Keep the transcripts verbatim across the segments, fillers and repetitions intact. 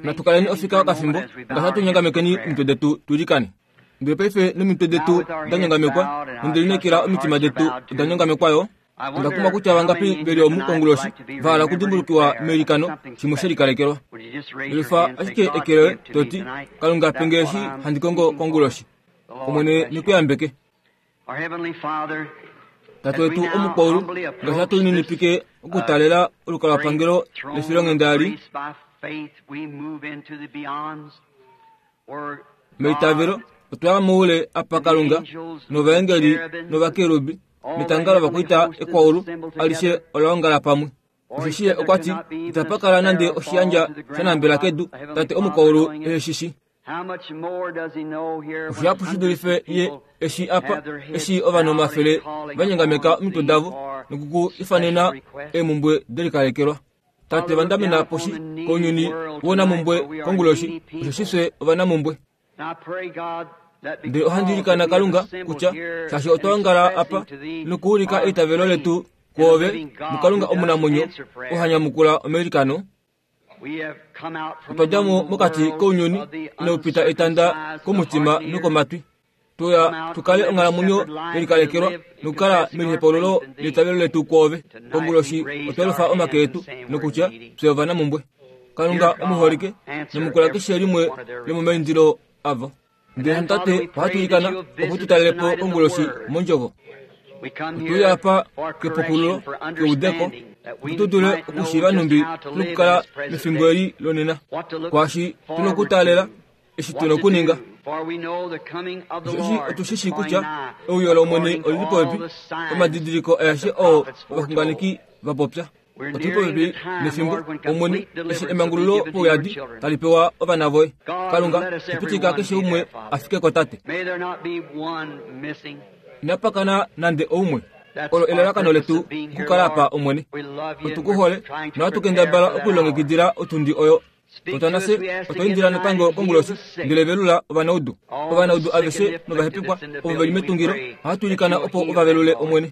Natu kaleni ofika okafimbo ngaashi hatu nyongamekeni omitwe detu tuilikane. Ndele paife nomitwe detu da nyongamekwa, nondelinekela omitima detu oda nyongamekwa yo. Onda kumwa kutya vangapi veli omu konguloshi va hala okudimbulukiwa meilikano shimwe she likalekelwa. Lifa ashike eke loye to ti, Kalunga pe nge eshi handi kongo konguloshi. Omwene ne ku yambeke. Tate wetu omukwaulu, ngaashi hatu lininipike okutaalela olukalwapangelo lefilonghenda eli, meitavelo otwa ya moule apa Kalunga novaengeli novakerubi netanga lovakwaita ekwaulu alishe ola ongala pamwe. Osheshi ye okwa ti, itapa kala nande oshiyandja sha nambela kedu, Tate omukwaulu ehe shi shi. Oshihapu shi dulife ye eshi apa, eshi ovanhu omafele va nyongameka omitwe davo noku ku ifanena eemumbwe delikalekelwa. Tate vandamena poshi kounyuni wounamumbwe konguloshi, osheshi fye ovanamumbwe. Ndele ohandi ilikana Kalunga kutya shaashi otwa ongala apa nokuulika eitavelo letu kwoove muKalunga omunamwenyo oo ha nyamukula omailikano, otwa dja mo mokati kounyuni inau pita etanda komutima nokomatwi, tuya tu kale onghalamwenyo yelikalekelwa nokukala melihepaululo leitavelo letu kwoove. Konguloshi otwa lufa omake etu nokutya fye ovanamumbwe. Kalunga omuholike, nyamukula keshe limwe lomomaindilo avo. Ndele Tate, ohatu ilikana opo tu talele po konguloshi mondjovo. Otu apa kepukululo, keudeko, opo tu dule okushiiva nhumbi tu nokukala mefimbo eli lonena, kwaashi tu nokutaalela, eshi tu nokuninga. Osheshi otu shi shii kutya euyo lOmwene oli li popepi, omadidiliko aeshe oo ovaxunganeki va popya. Otu li popepi nefimbo, Omwene, eshi emangululo pouyadi tali pewa ovana voye. Kalunga, pitika keshe umwe a fike ko, Tate. Inapa kana nande oumwe. Olo elalakano letu okukala apa, Omwene. Otu ku hole, nohatu kendabala okulilongekidila otundi oyo. Otwa nafye otwa indila natango konguloshi, ndele velula ovanaudu. Ovanaudu aveshe novahepekwa ovo ve li metungilo, ohatu ilikana opo ova velule, Omwene.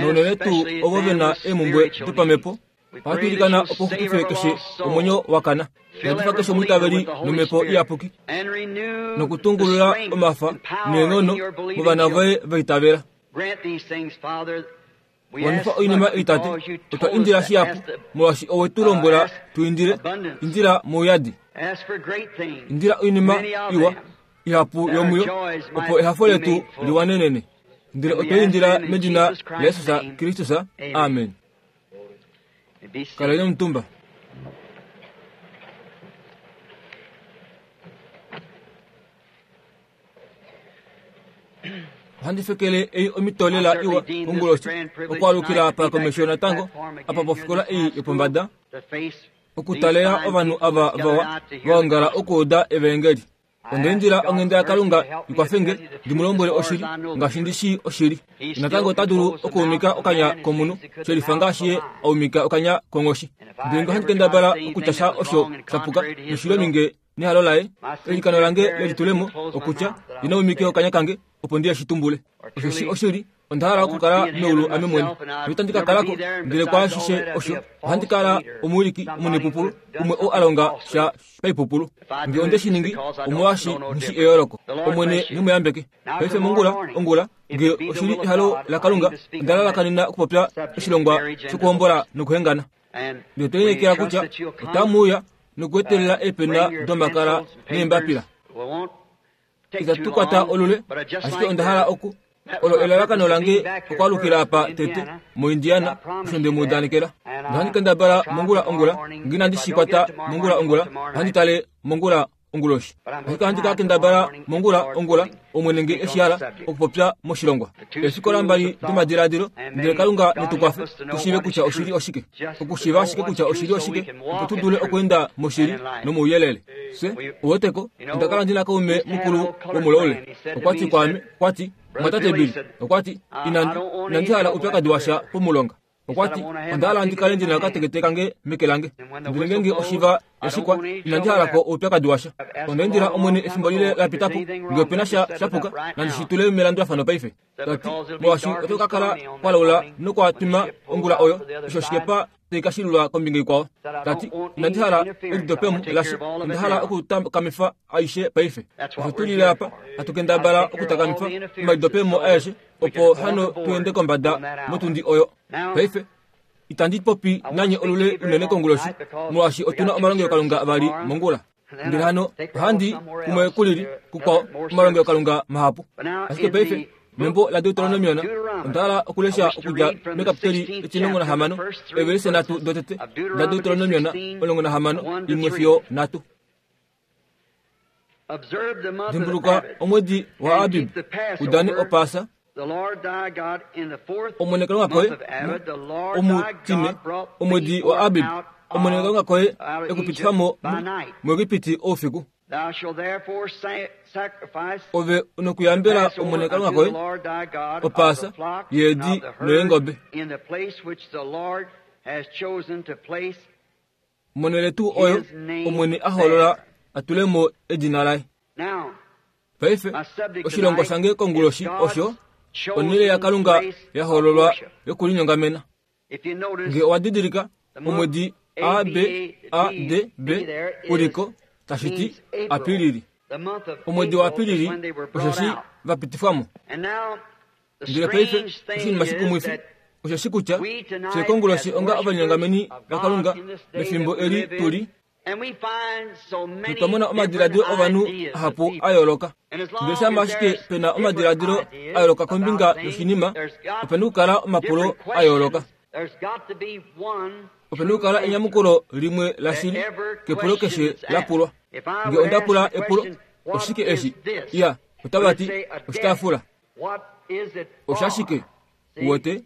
Nounene tuu ovo ve na eemumbwe dopamhepo, ohatu ilikana opo u xupife keshe omwenyo wa kana. Yadifa keshe omwiitaveli nomhepo iyapuki, nokutungulula omafa neenghono movana voye va itavela. Wanifa oinima ei, Tate. Otwa indila shihapu, molwaashi owe tu lombwela tu indile. Indila mouyadi. Indila oinima iwa ihapu yomuyo, opo ehafo letu liwanenene. Ndele otwa indila medina laJesus Kristus. Amen. Kaleni omutumba. Ohandi fekele ei omhito lela iwa konguloshi okwaalukila apa komesho natango apa pofikola ei yopombada, okutalela ovanhu ava vawa va ongala okuuda evaengeli. Onda indila onghenda yaKalunga i kwafe nge ndi mu lombwele oshili ngaashi ndi shii oshili. Natango ota dulu okuumika okanya komunhu she lifa ngaashi ye a umika okanya konghoshi. Ndele nge ohandi kendabala okutya sha osho sha puka noshiloni nge nehalo laye, eilikano lange lelitulemo okutya ina umike okanya kange opo ndi shi tumbule. Osheshi oshili, onda hala okukala meulu ame mwene. Noitandi ka kala ko, ndele kwaashishe osho, ohandi kala omuwiliki omunepupulu, umwe ou a longa sha paipupulu. Nge onde shi ningi, omolwaashi nghi shi eyooloko. Omwene ne mu yambeke. Paife mongula, ongula, nge oshi li ehalo laKalunga, onda lalakanena okupopya oshilongwa shokuhombola nokuhengana. Ndele otwe lineekela kutya otamu uya nokuetelela eepena domakala neembapila. Itatu kwata olule, ashike onda hala oku olo elalakano lange okwaalukila apa tete moIndiana, osho nde mu udanekela. Nohandi kendabala mongula ongula, nge inandi shi kwata mongula ongula, ohandi tale mongula onguloshi. Ashike ohandi ka kendabala mongula ongula, Omwene nge eshi hala okupopya moshilongwa. Eefikola mbali domadilaadilo, ndele Kalunga ne tu kwafe tu shiive kutya oshili oshike, okushiiva ashike kutya oshili oshike, opo tu dule okweenda moshili nomouyelele. Fye, uweteko, onda kala ndi na kaume mukulu womulaule. Okwa ti kwaame, okwa ti, Mwatate Bill, okwa ti, inandi, inandi hala oupyakadi washa pomulonga. Okwa ti, onda hala ndi kale ndi na okatekete kange meke lange. Ndele ngeenge oshiva ya shikwa, inandi hala ko oupyakadi washa. Onda indila Omwene efimbo lile la pita po, nge ope na sha sha puka, nandi shi tule melandulafano paife. Ta ti, molwaashi oto ka kala kwa laula nokwa twima ongula oyo, eshi oshikepa taikashilulwa kombinga ikwao. Tati inandi hala elidopemo lasha, onda hala okutakamifa aishe paife. Osho tulile apa hatu kendabala okutakamifa omalidopemo aeshe opo hano tuende kombada motundi oyo. Paife itandi popi nanye olule unene konguloshi molwaashi otuna omalongelokalunga avali mongula. Ndele hano ohandi kumwe kulili kukwao omalongelokalunga mahapu. Ashike paife membo la Deuteronomion onda hala okulesha okudja mekapiteli etimulongo nahamano evelise nhatu dotete da Deuteronomion omulongo nahamano imwe fiyo nhatu. Dimbuluka omwedi wa Abib udane Opaasa. Omwene Kalunga koye omutine omwedi wa Abib Omwene Kalunga koye ekupitifa mo muEgipiti oufiku. Ove onokuyambela Omwene Kalunga koye Opaasa yeedi noyeengobe. Monhele tuu oyo Omwene a hoolola atule mo edina laye. Paife oshilongwa shange konguloshi osho onhele yaKalunga ya hoololwa yokulinyongamena. Nge owa didilika omwedi A B A D B uliko tashi ti Apilili. Omwedi wa Apilili osheshi va pitifwamo. Ndele paife oshinima shikumwifi osheshi kutya fye konguloshi onga ovalinyongameni vaKalunga mefimbo eli tuli notwa mona omadiladilo ovanhu ahapu a yooloka. Ndele shama ashike pena omadiladilo a yooloka kombinga yoshinima, opena okukala omapulo a yooloka. Opena okukala enyamukulo limwe lashili kepulo keshe la pulwa. Nge onda pula epulo, oshike eshi? Iya, otava ti oshitaafula. Oshashike? Uwete?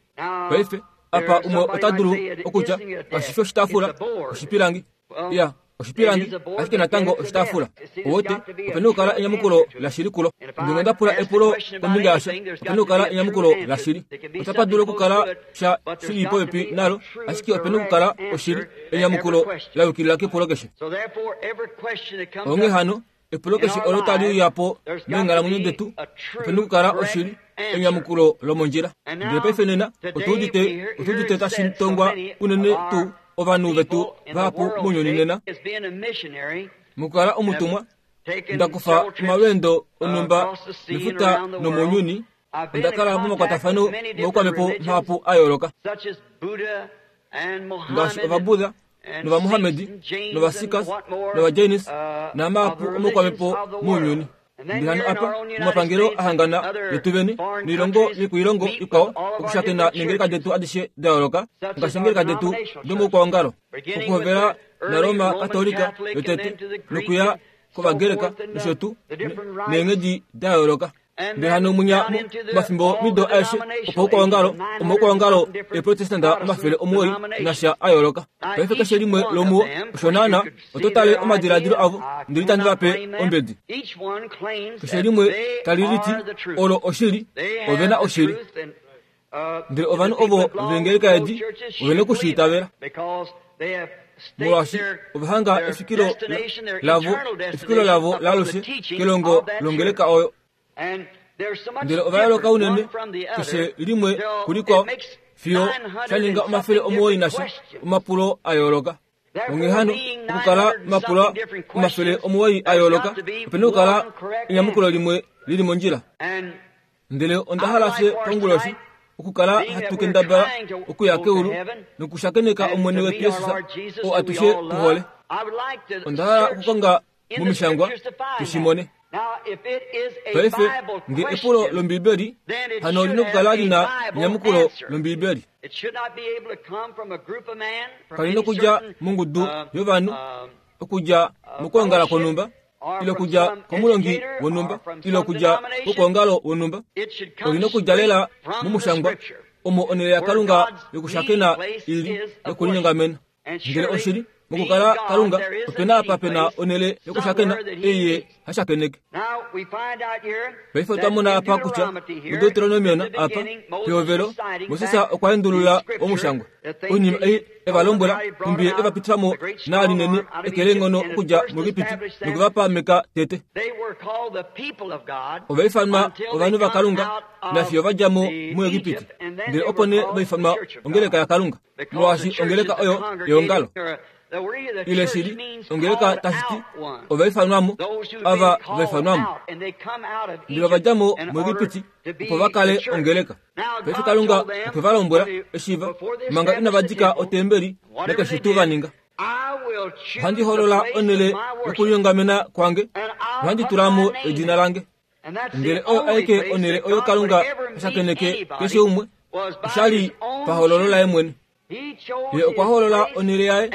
Paife apa umwe ota dulu okutya kashifi oshitaafula, oshipilangi. Iya, oshipilangi ashike natango oshitaafula. Uwete, opena okukala enyamukulo lashili kulo. Nge onda pula epulo kombinga yasho, opena okukala enyamukulo lashili. Otapa dulu okukala sha shili popepi nalo, ashike opena okukala oshili enyamukulo la yukilila kepulo keshe. Onghee hano epulo keshe olo tali uya po meenghalamwenyo detu, opena okukala oshili enyamukulo lomondjila. Ndele paife nena otuudite otuudite tashi tongwa unene tuu ovanhu vetu vahapu mounyuni nena. Mokukala omutumwa, nda kufa omalweendo onhumba mefuta nomounyuni, onda kala momakwatafano moukwamepo mahapu a yooloka, ngaashi Ovabuddha nOvamuhamedi nOvasikhs nOvajainis namahapu omoukwamepo mounyuni. Ndele hano apa omapangelo ahangana letu vene noilongo yokoilongo ikwao okushakena neengeleka detu adishe da yooloka, ngaashi eengeleka detu domoukwaongalo, okuhovela naRoma Katolika yotete nokuya kOvagreka nosho tuu neenghedi da yooloka. Ndele hano munya mafimbo mido aeshe opaukwaongalo omaukwaongalo eeprotestanta omafele omuwoi nasha a yooloka. Paife keshe limwe lomuwo osho naana oto tale omadiladilo avo, ndele itandi va pe ombedi. Keshe limwe tali liti olo oshili, ove na oshili. Ndele ovanhu ovo vengeleka edi ovena okushiitavela, molwaashi ova hanga efikilo lavo efikilo lavo laalushe kelongo longeleka oyo. Ndele ova yooloka unene keshe limwe kulikwao fiyo sha ninga omafele omuwoi nasha omapulo a yooloka. Onghee hano okukala mapula omafele omuwoi a yooloka, opena okukala enyamukulo limwe lili mondjila. Ndele onda hala fye konguloshi okukala hatu kendabala okuya keulu nokushakeneka Omwene wetu Jesus oo atushe tuhole. Onda hala okukonga momishangwa tushimone. Paife nge epulo lOmbibeli hano olina okukala lina enyamukulo lOmbibeli. Kalina okudja mongudu yovanhu, okudja mokwoongala kwonhumba, ile okudja komulongi wonhumba, ile okudja kokwoongalo wonhumba. Olina okudja lela momushangwa omo onhele yaKalunga yokushakena ili yokulinyongamena. Ndele oshili Mokukala Kalunga opena apa pena onele yokushakena eye hashakeneke. Paife otwa mona apa kutya muDeuteronomion apa pehovelo Moses okwa endulula omushangwa oinima ei eva lombwela nhumbi eva pitifamo naalinene ekelenghono okudja muEgipiti nokuvapameka tete. Ova ifanwa ovanhu vaKalunga nafiyo va dja mo muEgipiti, ndele opo nee va ifanwa ongeleka yaKalunga, molwaashi ongeleka oyo eongalo. Ile shili ongeleka tashi ti ova ifanwamo, ava va ifanwamo, ndele ova dja mo muEgipiti opo va kale ongeleka. Paife Kalunga okwe va lombwela eshi va manga inava dika otembeli nakeshe tuu va ninga. Ohandi hoolola onhele yokulinyongamena kwange nohandi tula mo edina lange. Ndele oyo aike onhele oyo Kalunga hashakeneke keshe umwe oshali pahoololo laye mwene. Ye okwa hoolola onhele yaye,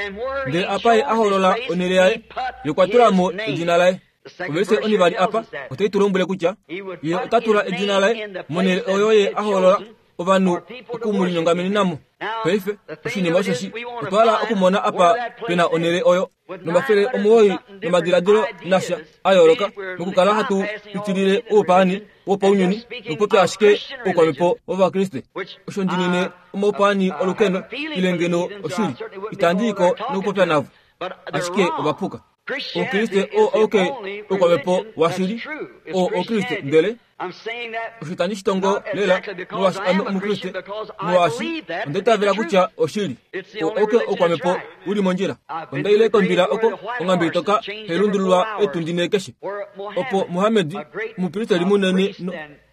ndele apa ye a hoolola onhele yaye, ye okwa tula mo edina laye. Ovelise onivali apa otai tu lombwele kutya ye ota tula edina laye monhele oyo ye a hoolola ovanhu okumulinyongamenenamo. Paife oshinima osheshi otwa hala okumona apa pena onhele oyo nomafele omuwoi nomadiladilo nasha a yooloka mokukala hatu pitilile oupaani wopaunyuni nokupopya ashike oukwamhepo wOvakriste. Osho ndinine omaupaani olukeno ile ngeno oshili itandi iko nokupopya navo, ashike ovapuka. Oukriste oo auke oukwamhepo washili oo Oukriste, ndele osho itandi shitongo lela molwaashi ame Omukriste, molwaashi onda itavela kutya oshili oo auke oukwamhepo uli mondjila. Onda ile kombila oko onghambe itoka hailundululwa etundi nhee keshe, opo Muhammed omupristeli munene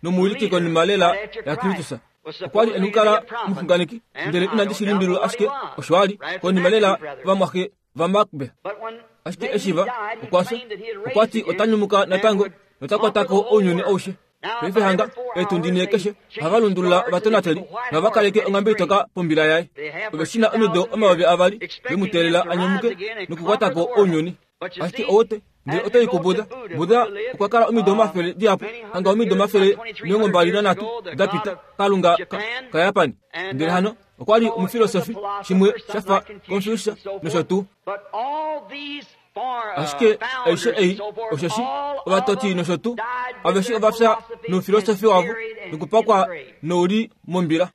nomuwiliki konima lela yaKristus okwa li e nokukala omuxunganeki, ndele inandi shi limbililwa ashike osho a li konima lela vamwaxe vaMakbe. Ashike eshi va okwa fya, okwa ti ota nyumuka natango nota kwata ko ounyuni aushe. Paife hanga etundi nhee keshe ohava lundulula ovatonateli nohava kaleke onghambe itoka pombila yaye. Ove shi na omido omayovi avali ve mu teelela a nyumuke nokukwata ko ounyuni. Ashike owote ndele otai kuBuddha. Buddha okwa kala omido omafele dihapu, hanga omido omafele omilongo mbali nanhatu da pita, Kalunga kaJapani. Ndele hano okwa li omufilosofi, shimwe sha fa Confucius nosho tuu. Ashike aishe ei osheshi ovatoti nosho tuu aveshe ova fya noufilosofi wavo nokupakwa nouli mombila.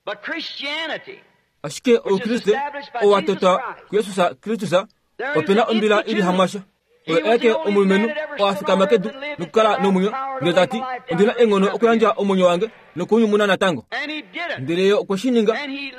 Ashike Oukriste oo wa totwa kuJesus Kristus opena ombila ili hamwasha. Oye aeke omulumenhu oo a fikama kedu nokukala nomwenyo, ndele ta ti, ondina eenghono okuyandja omwenyo wange nokunyumuna natango. Ndele ye okwe shi ninga,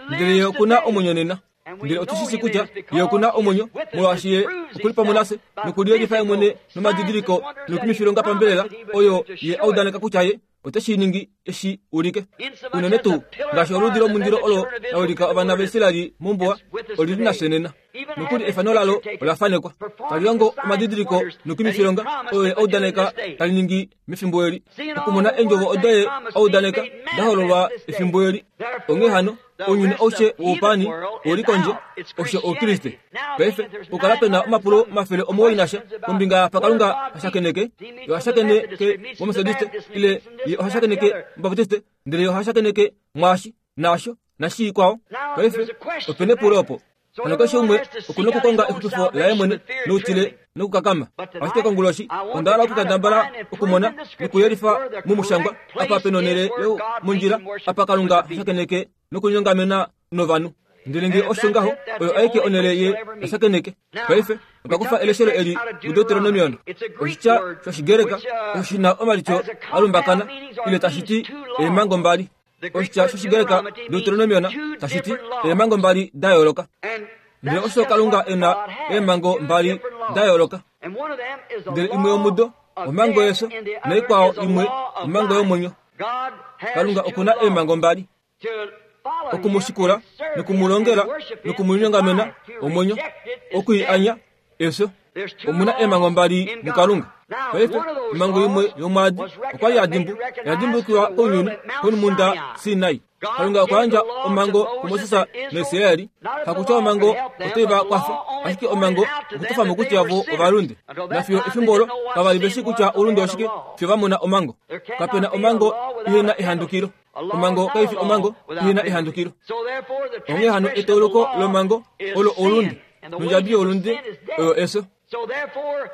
ndele ye okuna omwenyo nena. Ndele otu shi shii kutya ye okuna omwenyo, molwaashi ye okuli pamwe nafye nokuliyelifa ye mwene nomadidiliko noikumifilonga pambelela oyo ye a udaneka kutya ye ote shi ningi eshi ulike. Unene tuu ngaashi oludi lomundilo olo la ulika ovana vaIsraeli mombuwa, oli li nafye nena. Nokuli efano lalo ola fanekwa tali longo omadidiliko noikumifilonga oyo ye a udaneka tali ningi mefimbo eli, okumona eendjovo odo ye a udaneka da hololwa efimbo eli. Onghee hano ounyuni aushe woupaani ouli kondje, osho Oukriste. Paife okukala pena omapulo omafele omuwoi nasha kombinga yaapa Kalunga hashakeneke, ye ohashakeneke mOmethodiste ile ye ohashakeneke mObaptiste, ndele ye ohashakeneke mwaashi naasho nashi ikwao. Paife opena epulo opo. Hano keshe umwe okuna okukonga exupifo laye mwene noutile nokukakama. Ashike konguloshi onda hala okukendabala okumona nokuyelifa momushangwa apa pena onhele yomondjila apa Kalunga hashakeneke nokunyongamena novanhu. Ndele ngee osho ngaho, oyo aike onhele ye hashakeneke. Paife otwa kufa eleshelo eli muDeuteronomion, oshitya shOshigreka osho shi na omalityo a lumbakana ile tashi ti eemhango mbali. Oshitya shOshigreka Deuteronomion tashi ti eemhango mbali da yooloka. Ndele osho Kalunga e na eemhango mbali da yooloka. Ndele imwe yomudo omhango yefyo naikwao imwe omhango yomwenyo. Kalunga okuna eemhango mbali, okumushikula nokumulongela nokumulinyongamena omwenyo, okwiianya efyo. Omuna eemhango mbali muKalunga. Paife omhango imwe yomwaadi okwa li ya dimbu ya dimbulukiwa kounyuni komhunda Sinai. Kalunga okwa yandja omhango kuMoses naIsraeli, hakutya omhango otai va kwafa, ashike omhango okutofa mo kutya vo ovalunde. Nafiyo efimbo olo kava li ve shii kutya oulunde oshike fiyo va mona omhango. Kapena omhango ihe na ehandukilo. Omhango kai fi omhango ihe na ehandukilo. Onghee hano etauluko lomhango olo oulunde. Nondjabi youlunde oyo efyo.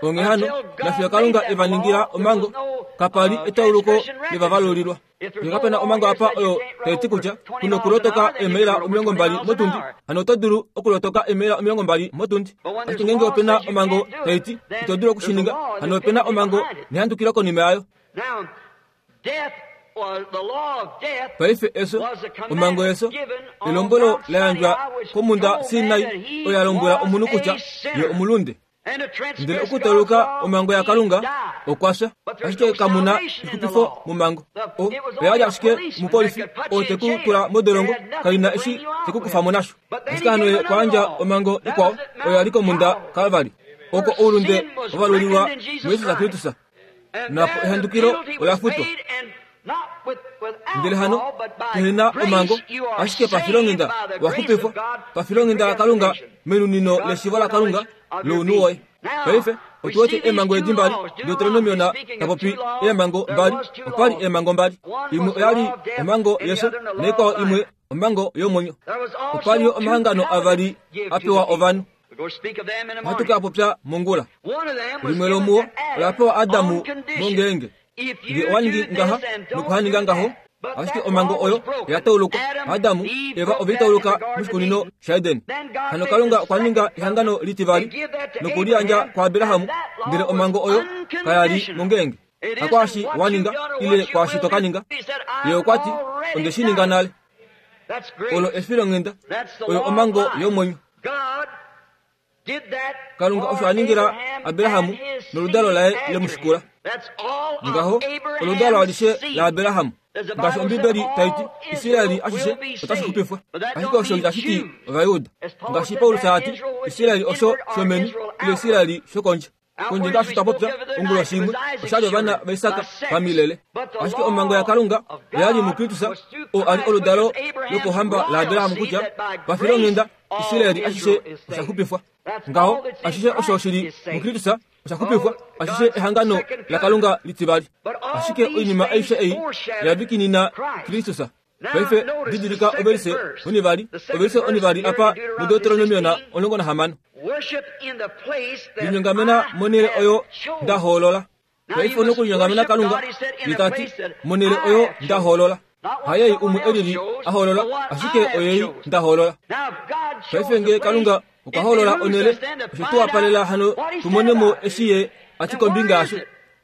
Onghee hano, nafiyo Kalunga e va ningila omhango, kapa li etauluko levavalulilwa. Ngee kapena omhango apa oyo tai ti kutya kuna okulotoka eemaila omilongo mbali motundi, hano oto dulu okulotoka eemaila omilongo mbali motundi. Ashike ngeenge opena omhango tai ti ito dulu okushininga, hano opena omhango nehandukilo konima yayo. Paife efyo, omhango yefyo, elombwelo la yandjwa komhunda Sinai oyo ya lombwela omunhu kutya ye omulunde. Ndele okutauluka omhango yaKalunga okwa fya, ashike kamuna exupifo momhango. O oya li ashike omupolifi oo te ku tula modolongo, kaina eshi te ku kufa mo nasho. Ashike hano ye okwa yandja omhango ikwao oyo ya li komhunda Kalvari, oko oulunde wavalulilwa muJesus Kristus. Napo ehandukilo ola futwa. Ndele hano pehena omhango, ashike pafilonghenda waxupifwa, pafilonghenda laKalunga menunino leshiivo laKalunga lounhu woye. Paife otu wete eemhango edi mbali, Deuteronomiona ta popi eemhango mbali, opa li eemhango mbali. Imwe oya li omhango yefyo naikwao imwe omhango yomwenyo. Opa li yo omahangano avali a pewa ovanhu. Ohatu ka popya mongula. Limwe lomuo ola pewa Adamu mongeenge nge owa ningi ngaha nokuhaninga ngaho, ashike omhango oyo oya taulukwa. Adamu Eva ove tauluka moshikunino shaEden. Hano Kalunga okwa ninga ehangano litivali nokuliyandja kwaAbraham, ndele omhango oyo kaya li mongeenge. Hakwaashi wa ninga ile kwaashi to ka ninga. Ye okwa ti, onde shi ninga nale. Olo efilonghenda, oyo omhango yomwenyo. Kalunga osho a ningila Abraham noludalo laye lemushikula. Ngaho oludalo alishe laAbraham. Ngaashi Ombibeli tai ti, Israeli ashishe otashi xupifwa. Ashike osho itashi ti Ovajuda. Ngaashi Paulus a ti, Israeli osho shomeni, ile Israeli shokondje. Kondje ngaashi twa popya onguloshi imwe, osha li ovana vaIsak pamilele. Ashike omhango yaKalunga oya li muKristus, oo a li oludalo lopohamba laAbraham kutya pafilonghenda Israeli ashishe osha xupifwa. Ngaho ashishe osho shili muKristus osha xupifwa, ashishe ehangano laKalunga litivali. Ashike oinima aishe ei oya vikinina Kristus. Paife didilika ovelise onivali, ovelise onivali apa muDeuteronomiona omulongo nahamano. Linyongamena monhele oyo nda hoolola. Paife ono okulinyongamena Kalunga, ye ta ti, monhele oyo nda hoolola. Hayei umwe elili a hoolola, ashike oyei nda hoolola. Paife nge Kalunga okwa hoolola onhele, osho tu wapalela hano tumone mo eshi ye a ti kombinga yasho.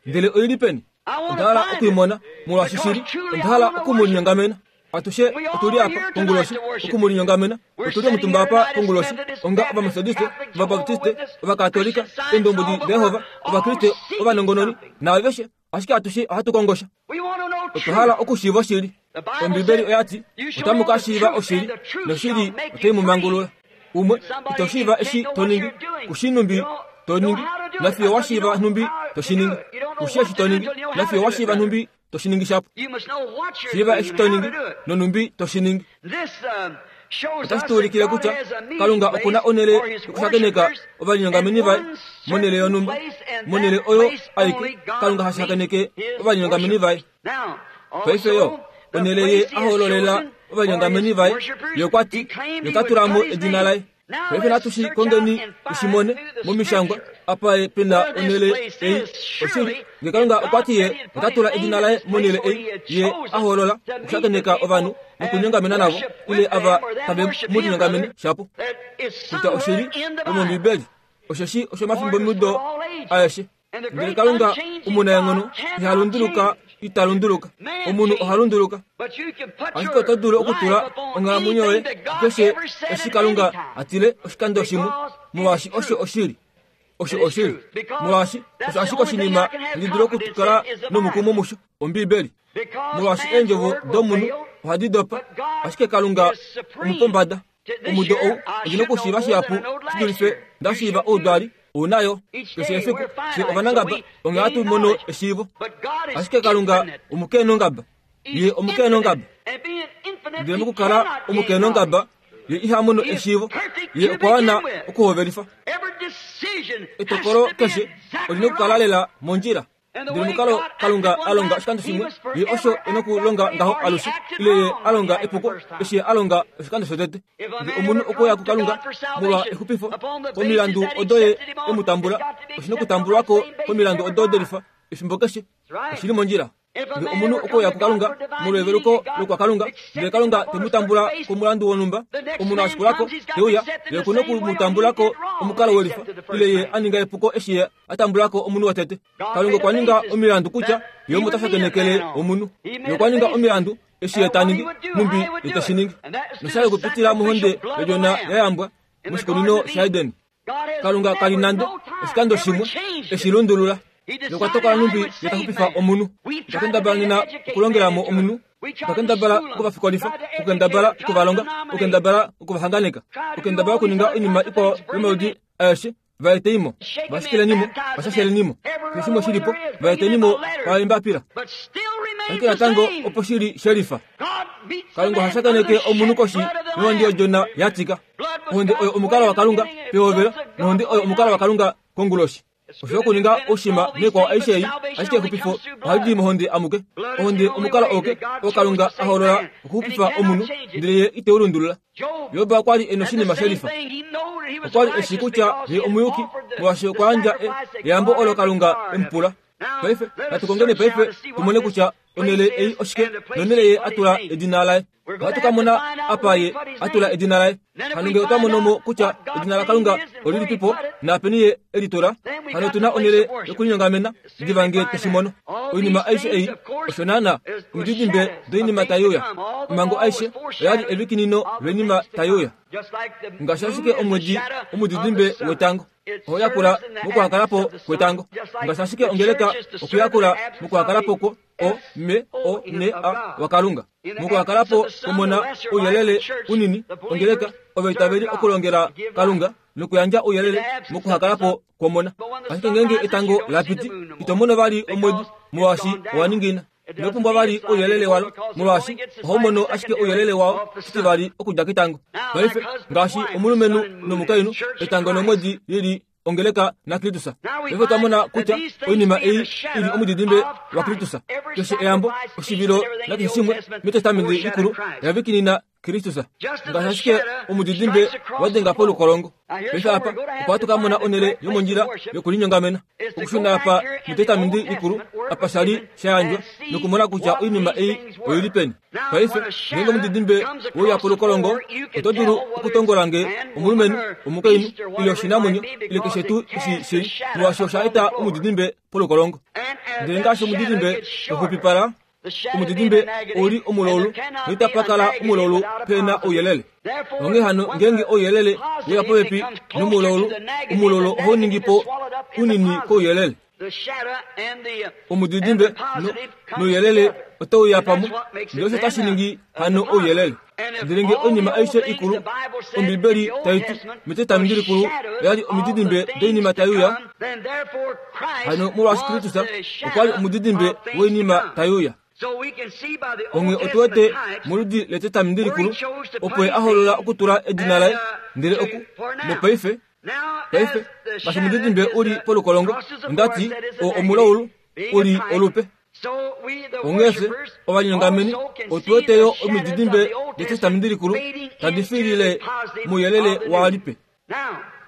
Ndele oili peni? Onda hala okuimona, molwaashi shili, onda hala okumulinyongamena. Atushe otuli apa konguloshi okumulinyongamena. Otuli omutumba apa konguloshi onga Ovametodiste, Ovabaptiste, Ovakatolika, Eendombwedi daJehova, Ovakriste, ovanongononi naaveshe, ashike atushe ohatu kongosha. Otwa hala okushiiva oshili. Ombibeli oya ti, otamu ka shiiva oshili, noshili otai mu mangulula. Umwe ito shiiva eshi to ningi, kushi nhumbi to ningi, nafiyo wa shiiva nhumbi to shi ningi. Kushi eshi to ningi, nafiyo wa shiiva nhumbi to shi ningi shapo. Shiiva eshi to ningi, nonhumbi to shi ningi. Otashi tu ulikile kutya Kalunga okuna onhele yokushakeneka ovalinyongameni vaye monhele yonhumba, monhele oyo aike Kalunga ha shakeneke ovalinyongameni vaye. Paife yo onhele ye a hoololela ovalinyongameni vaye, ye okwa ti, ye tula mo edina laye. Paife natu shi kongeni tushi mone momishangwa apa ye pena onhele ei. Oshili, nge Kalunga okwa ti ye ota tula edina laye monhele ei, ye a hoolola okushakeneka ovanhu nokunyongamena navo, ile ava tave mu linyongamene shapo. Kutya oshili yomOmbibeli, osheshi oshomafimbomido aeshe. Ndele Kalunga omunaenghono iha lunduluka, ita lunduluka. Omunhu oha lunduluka. Ashike oto dulu okutula onghalamwenyo yoye keshe eshi Kalunga a tile oshikando shimwe, molwaashi osho oshili. Osho oshili. Molwaashi osho ashike oshinima handi dulu okukala nomukumo musho, Ombibeli. Molwaashi eendjovo domunhu ohadi dopa, ashike Kalunga omupombada. Omudo ou ondi na okushiiva shihapu shi dulife nda shiiva oudwali ounayo. Keshe efiku fye ovanangaba onghee hatu mono eshiivo. Ashike Kalunga omukeenongaba, ye omukeenongaba. Ndele mokukala omukeenongaba, ye iha mono eshiivo, ye okwa wana okuhovelifa. Etokolo keshe oli na okukala lela mondjila. Ndele omukalo Kalunga a longa oshikando shimwe, ye osho e nokulonga ngaho alushe, ile ye a longa epuko eshi ye a longa oshikando shotete. Ngee omunhu okweya kuKalunga molwa exupifo, komilandu odo ye e mu tambula, oshi nokutambulwa ko komilandu odo delifa efimbo keshe. Oshili mondjila. Ngee omunhu okweya kuKalunga molweveluko lokwaKalunga, ndele Kalunga te mu tambula komulandu wonhumba, omunhu a shikulako te uya, ye oku nokumutambula ko omukalo welifa, ile ye a ninga epuko eshi ye a tambula ko omunhu wotete. Kalunga okwa ninga omilandu kutya ye omo ta shakenekele omunhu. Ye okwa ninga omilandu eshi ye ta ningi, nhumbi ye teshi ningi. Noshali okupitila mohonde yodjona ya yambwa moshikunino shaEden. Kalunga kali nande oshikando shimwe eshi lundulula. Ye okwa tokola nhumbi ye ta xupifa omunhu. Otwa kendabala nena okulongela mo omunhu, otwa kendabala okuvafikolifa, okukendabala okuvalonga, okukendabala okuvahanganeka, okukendabala okuninga oinima ikwao yomaludi aeshe, va eteimo, va shikilenimo, va shashelenimo, keshe shimwe shilipo, va etenimo paembapila. Ashike natango opo shili shelifa. Kalunga oha shakeneke omunhu koshi yohonde yodjona ya tika. Ohonde oyo omukalo waKalunga pehovelo, nohonde oyo omukalo waKalunga konguloshi. Osho okuninga oushima naikwao aishe ei, ashike exupifo ohali di mohonde amuke. Ohonde omukalo auke oo Kalunga a hoolola okuxupifa omunhu, ndele ye ite u lundulula. Job okwa li e noshinima shelifa. Okwa li e shii kutya ye omuyuki, molwaashi okwa yandja eyambo olo Kalunga e mu pula. Paife, natu kongeni paife tu mone kutya onhele ei oshike, nonhele ye a tula edina laye. Ohatu ka mona apa ye a tula edina laye. Hano ngee otwa mono mo kutya edina laKalunga olilipipo naapeni ye e li tula, hano otu na onhele yokulinyongamena diva ngee tweshi mono. Oinima aishe ei, osho naana omididimbe doinima tai uya. Omhango aishe oya li evikinino loinima tai uya. Ngaashi ashike omwedi omudidimbe wetango oho yakula mokuhakalapo kwetango, ngaashi ashike ongeleka okuyakula mokuhakalapo kwo O M O N A waKalunga, mokuhakalapo kumona ouyelele unini, ongeleka ovaitaveli okulongela Kalunga nokuyandja ouyelele mokuhakalapo kwomona. Ashike ngeenge etango la piti, ito mono vali omwedi molwaashi owa ningina. Ino pumbwa vali ouyelele walo molwaashi ohau mono ashike ouyelele wao shitivali okudja ketango. Paife, ngaashi omulumenhu nomukainhu, etango nomwedi lili ongeleka naKristus. Paife otwa mona kutya oinima ei ili omudidimbe waKristus. Keshe eyambo, oshivilo nakeshe shimwe mEtestamenti Likulu oya vikinina Kristus. Ngaashi ashike omudidimbe wa denga polukolongo. Paife apa opo hatu ka mona onhele yomondjila yokulinyongamena. Okushuna apa mEtestamenti Likulu apa sha li sha yandjwa nokumona kutya oinima ei oili peni. Paife ngeenge omudidimbe weuya polukolongo, oto dulu okutongola nge omulumenhu, omukainhu, ile oshinamwenyo, ile keshe tuu eshi shili, molwaashi osha eta omudidimbe polukolongo. Ndele ngaashi omudidimbe waxupipala, omudidimbe ouli omulaulu, noitapa kala omulaulu pe na ouyelele. Onghee hano ngeenge ouyelele weya popepi nomulaulu, omulaulu ohau ningi po unini kouyelele. Omudidimbe nouyelele otau ya pamwe, ndele osho tashi ningi hano ouyelele. Ndele ngee oinima aishe ikulu, Ombibeli tai ti mEtestamenti Likulu oya li omididimbe doinima tai uya, hano molwaashi Kristus okwa li omudidimbe woinima tai uya. Onghee otu wete moludi lEtestamenti Likulu opo ye a hoolola okutula edina laye, ndele oku mopaife paife ngaashi omudidimbe u li polukolongo, onda ti oo omulaulu u li olupe. Onghee fye ovalinyongameni otu wete yo omididimbe dEtestamenti Likulu tadi fiilile mouyelele waalipe.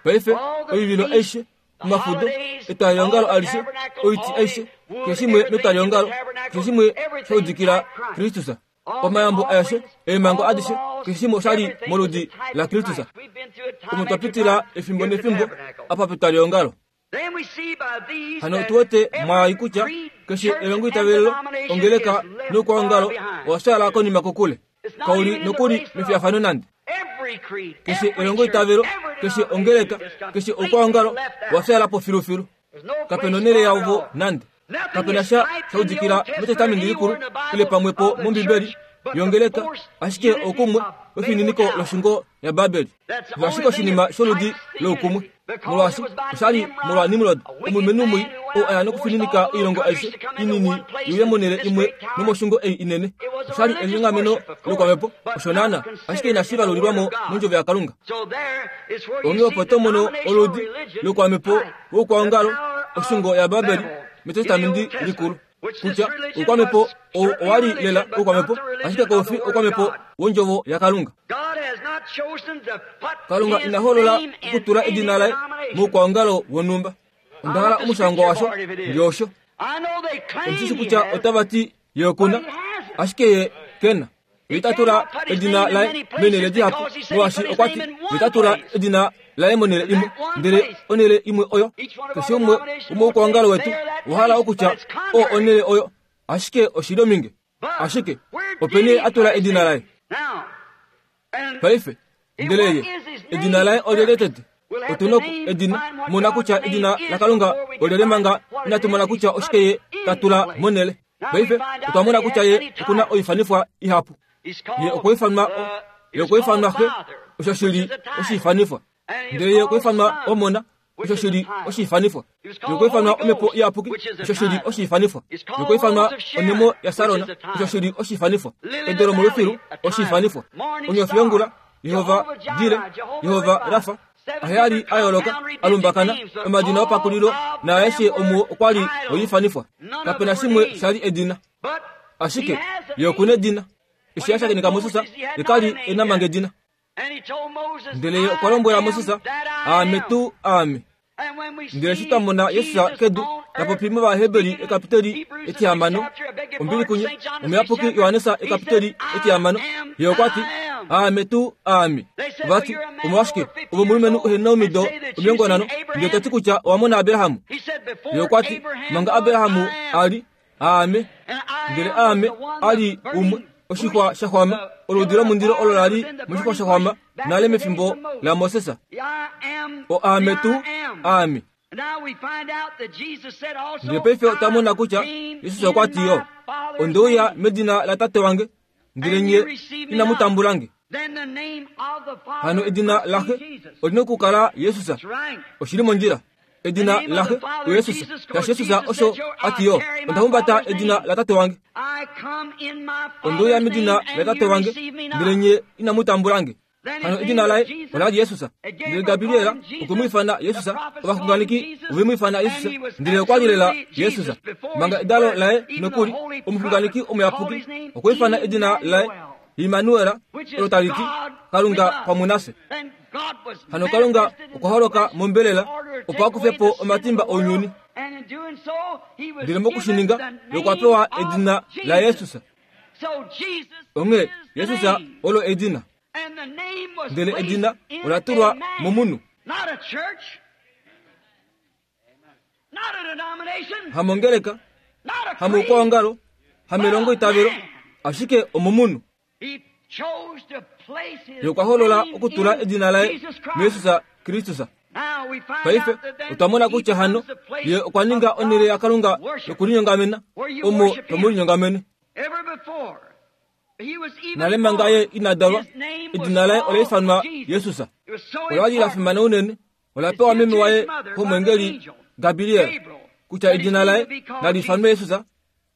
Paife oivilo aishe, omafudo, etwaliongalo alishe, oiti aishe, keshe shimwe metwaliongalo, keshe shimwe sha udikila Kristus. Omayambo aeshe, eemhango adishe, keshe shimwe osha li moludi laKristus. Omo twa pitila efimbo nefimbo apa petwaliongalo. Hano otu wete mwaai kutya keshe elongoitavelo, ongeleka noukwaongalo owa fyaala konima kokule. Kauli nokuli mefiyafano nande. Keshe elongoitavelo, keshe ongeleka, keshe oukwaongalo owa fyaala po filufilu. Kape nonhele yavo nande. Kape na sha sha udikila mEtestamenti Likulu ile pamwe po mOmbibeli yongeleka, ashike oukumwe wefininiko loshungo yaBabeli. Osho ashike oshinima sholudi loukumwe, molwaashi osha li molwa Nimrod, omulumenhu mwii oo a ya nokufininika oilongo aishe inini iuye monhele imwe nomoshungo ei inene. Osha li elinyongameno lokwamhepo, osho naana, ashike inashi valulilwa mo mondjovo yaKalunga. Onghee opo to mono oludi lokwamhepo woukwaongalo, oshungo yaBabeli, metestamenti likulu kutya oukwamhepo owa li lela oukwamhepo ashike koufi oukwamhepo wondjovo yaKalunga. Kalunga ina holola okutula edina laye moukwaongalo wonhumba. Onda hala omushangwa washo ndiosho. Omushishi kutya otava ti ye okuna, ashike ye kena. Ye ita tula edina laye menele dihapu, molwaashi okwa ti ye ita tula edina laye monele imwe, ndele onele imwe oyo keshe umwe womoukwangalo wetu owa okutya o onele oyo, ashike oshili ominge. Ashike opene atula edina laye. Paife ndele ye edina laye olyelye tete? Otuna edina mona kutya edina laKalunga olyelye manga inatu mona kutya oshike ye tatula monele. Paife otwa mona kutya ye okuna oifanifwa ihapu. Ye okwa ifanwa ye okwa ifanwa xe, osho shili oshifanifwa. Ndele ye okwa ifanwa omona, osho shili oshifanifwa. Ye okwa ifanwa omhepo iyapuki, osho shili oshifanifwa. Ye okwa ifanwa onemo yaSarona, osho shili oshifanifwa. Edo lomolufilu, oshifanifwa. Onyofi yongula, Yehova Jire, Yehova Rafa, aheyali a yooloka alumbakana omadina opakulilo naaeshe omuo okwa li oifanifwa. Kapena shimwe shali edina, ashike ye okuna edina. Eshi a shakeneka Moses, ye kali ena manga edina. Ndele ye okwa lombwela Moses, aame tuu aame. Ndele eshi twa mona Jesus kedu tapopi mOvaheberi ekapiteli etihamano ombili kunye omuyapuki Johannes ekapiteli etihamano, ye okwa ti aame tuu aame. Vati omolwashike ove omulumenhu uhena omido omilongo nhano ndele toti kutya owa mona Abrahamu? Ye okwa ti manga Abrahamu ali aame. Ndele aame ali umwe oshixwa shaxwama, oludi lomundilo olo lali moshixwa shaxwama nale mefimbo laMoses. O aame tuu aame. Ndele paife otwa mona kutya Jesus okwa ti yo, onde uya medina latate wange, ndele nye inamu tambulange. Hano edina laxe olina okukala Jesus. Oshili mondjila. Edina laxe oYesus. Shaashi Jesus osho ati yo, onda humbata edina latate wange. Onde uya medina latate wange, ndele nye inamu tambulange. Hano edina laye olali Jesus. Ndele Gabriela okwe mu ifana Jesus, ovaxunganeki ove mu ifana Jesus, ndele okwa li lela Jesus. Manga edalo laye nokuli omuxunganeki omuyapuki okwe ifana edina laye Immanuel, olo tali ti Kalunga pamwe nafye. Hano Kalunga okwa holoka mombelela opo akufe po omatimba ounyuni. Ndele mokushininga ye okwa pewa edina laYesus. Onghee Jesus olo edina. Ndele edina ola tulwa momunhu. Hamongeleka, hamoukwaongalo, hamelongo itavelo, ashike omomunhu. Ye okwa holola okutula edina laye muYesus Kristus. Paife otwa mona kutya hano ye okwa ninga onhele yaKalunga yokulinyongamena, omo tomulinyongamene. Nale manga ye ina dalwa, edina laye ola ifanwa Jesus. Ola li la fimana unene, ola pewa meme waye komwengeli Gabriel, kutya edina laye nali ifanwe Jesus,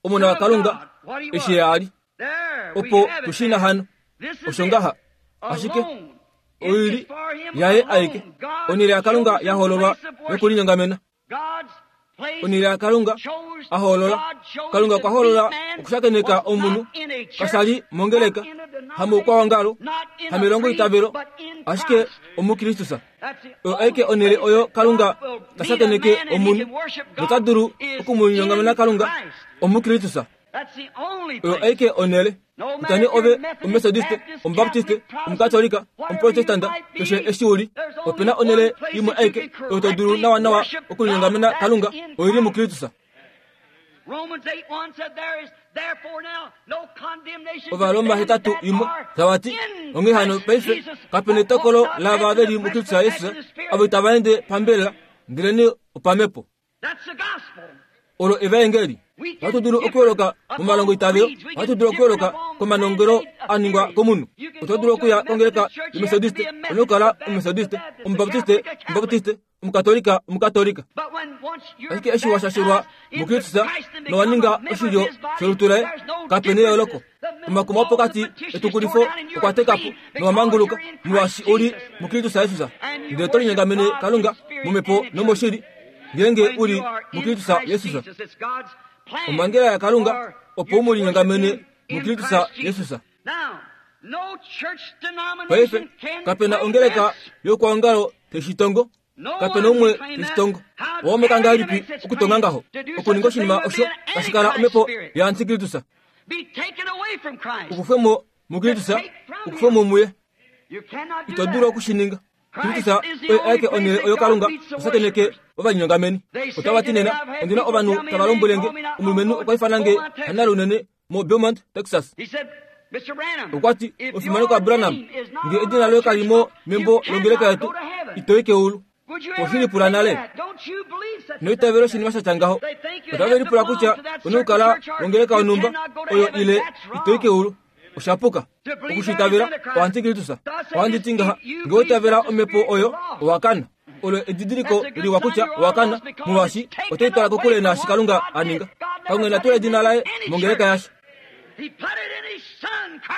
omona waKalunga, eshi ye ali. Opo tushina hano osho ngaha, ashike oili yaye aike onhele yaKalunga ya hololwa yokulinyongamena. Onhele yaKalunga a holola, Kalunga okwa holola okushakeneka omunhu kashali mongeleka, hamoukwaongalo, hamelongo itavelo, ashike omuKristus. Oyo aike onhele oyo Kalunga ta shakeneke omunhu nota dulu okumulinyongamena Kalunga omuKristus. Oyo aike onhele. Kutya nee ove Omumethodiste, Omubaptiste, Omukatolika, Omuprotestanta, keshe eshi uli, opena onhele imwe aike oyo to dulu nawanawa okulinyongamena Kalunga, oili muKristus. Ovaroma hetatu imwe tava ti, onghee hano paife kapena etokolo laava veli muKristus Jesus, avo itava ende pambelela, ndele nee opamhepo. Olo evaengeli. Ohatu dulu okuyooloka momalongo itavelo, ohatu dulu okuyooloka komanongelo a ningwa komunhu. Oto dulu okuya kongeleka yOmethodiste, olina okukala Omumethodiste, Omubaptiste, Omubaptiste, Omukatolika, Omukatolika. Ashike eshi wa shashulwa muKristus nowa ninga oshilyo sholutu laye, kapena eyooloko. Omakuma opokati etukulifo okwa teka po nowa manguluka, molwaashi uli muKristus Jesus. Ndele to linyongamene Kalunga momhepo nomoshili, Ngenge uli mukristusa Yesusa. Omhangela yaKalunga opo u mu linyongamene mukristusa Yesusa. Paife kapena ongeleka youkwaongalo teshitongo, kapena umwe teshitongo. Owameka ngahelipi okutonga ngaho okuninga oshinima osho tashi kala omhepo yaantikristusa? Ukufwemo mukristusa, ukufwemo muye. Ito dulu okushininga. Kristusa oye aeke onhele oyo Kalunga oshakeneke ovalinyongameni. Otava ti nena, ondina ovanhu tava lombwelenge omulumenhu okwa ifana nge hanale unene mo Beaumont, Texas. Okwa ti, omufimanekwa Branham, nge edina loye kali mo membo longeleka yetu, ito i keulu. Oshilipula nale. Noitavela oshinima sha tya ngaho. Otave lipula kutya one okukala wongeleka yonhumba oyo ile ito i keulu. Oshapuka. Okushitavela oantikristusa. Ohandi ti ngaha, nge oitavela omhepo oyo, owa kana. Olo edidiliko liwa kutya owa kana, molwaashi otai twala kokule naashi Kalunga a ninga. Kalunga ina tula edina laye mongeleka yasha.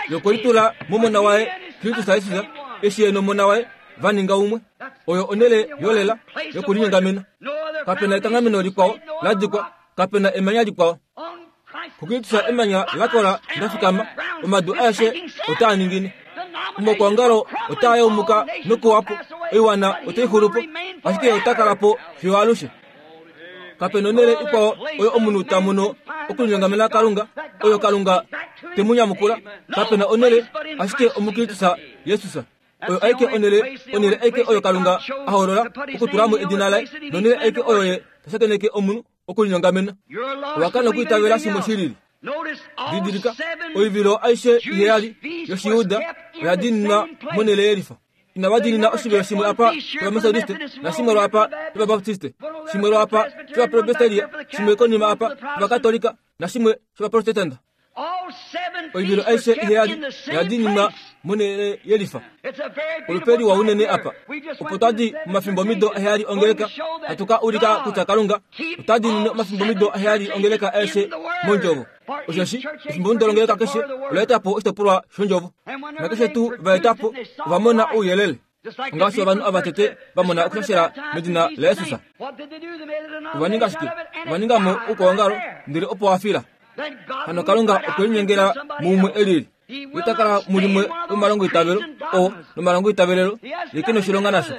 Yokwelitula momona waye Kristus Jesus, eshi ye nomona waye va ninga umwe. Oyo onhele yolela yokulinyongamena. Kapena ekanghameno likwao la dikwa, kapena emanya likwao. Kukristusa emanya lakola ndafikama, omadu aeshe otaa ningine. Omaukwaongalo otaa yaumuka nokuwapo, oiwana otai xulupo, ashike ota kala po fiyo alushe. Kapena onhele ikwao oyo omunhu ta mono okulinyongamena Kalunga, oyo Kalunga te mu nyamukula. Kapena onhele ashike omukristusa Jesus. Oyo aike onhele, onhele aike oyo Kalunga a hoolola okutula mo edina laye, nonhele aike oyo ye ta shakeneke omunhu okulinyongamena. Owa kana okuitavela shimwe shilili. Didilika, oivilo aishe iheyali yOshiyuda oya diininwa monhele yelifa. Inava diinina oshivilo shimwe apa shOvametodiste, nashimwe lwaapa shOvabaptiste, shimwe lwaapa shOvapresbiteria, shimwe konima apa shOvakatolika, nashimwe shOvaprotestanta. Oivilo aishe iheyali oya diininwa monhele yelifa. Olupe liwa unene apa. Opo twadi momafimbomido aheyali ongeleka, hatu ka ulika kutya Kalunga ota diinine omafimbomido aheyali ongeleka aeshe mondjovo. Osheshi efimbomido longeleka keshe ola eta po oshitopolwa shondjovo. Nakeshe tuu va eta po, ova mona ouyelele. Ngaashi ovanhu ava tete va mona okushashela medina laJesus. Ova ninga shike? Ova ninga mo oukwaongalo, ndele opo wa fila. Hano Kalunga okwe linyengela muumwe elili. Ita kala mulimwe lomalongo itavelo o nomalongo itavelelo ye ke noshilonga nasho.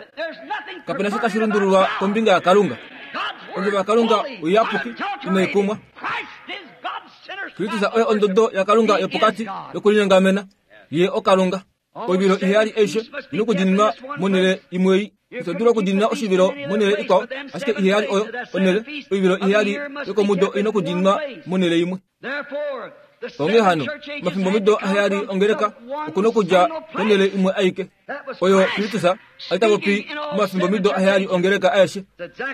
Kapena sha tashi lundululwa kombinga yaKalunga. Ondjovo yaKalunga oiyapuki inai kumwa. Kristus oye ondodo yaKalunga yopokati yokulinyongamena. Ye oKalunga. Oivilo iheyali aishe ina okudiininwa monhele imwe ei. Ito dulu okudiinina oshivilo monhele ikwao, ashike iheyali oyo onhele. Oivilo iheyali yokomudo ina okudiininwa monhele imwe. Onghee hano, omafimbomido aheyali ongeleka okuna okudja konhele imwe aike. Oyo Kristus a li ta popi momafimbomido aheyali ongeleka aeshe.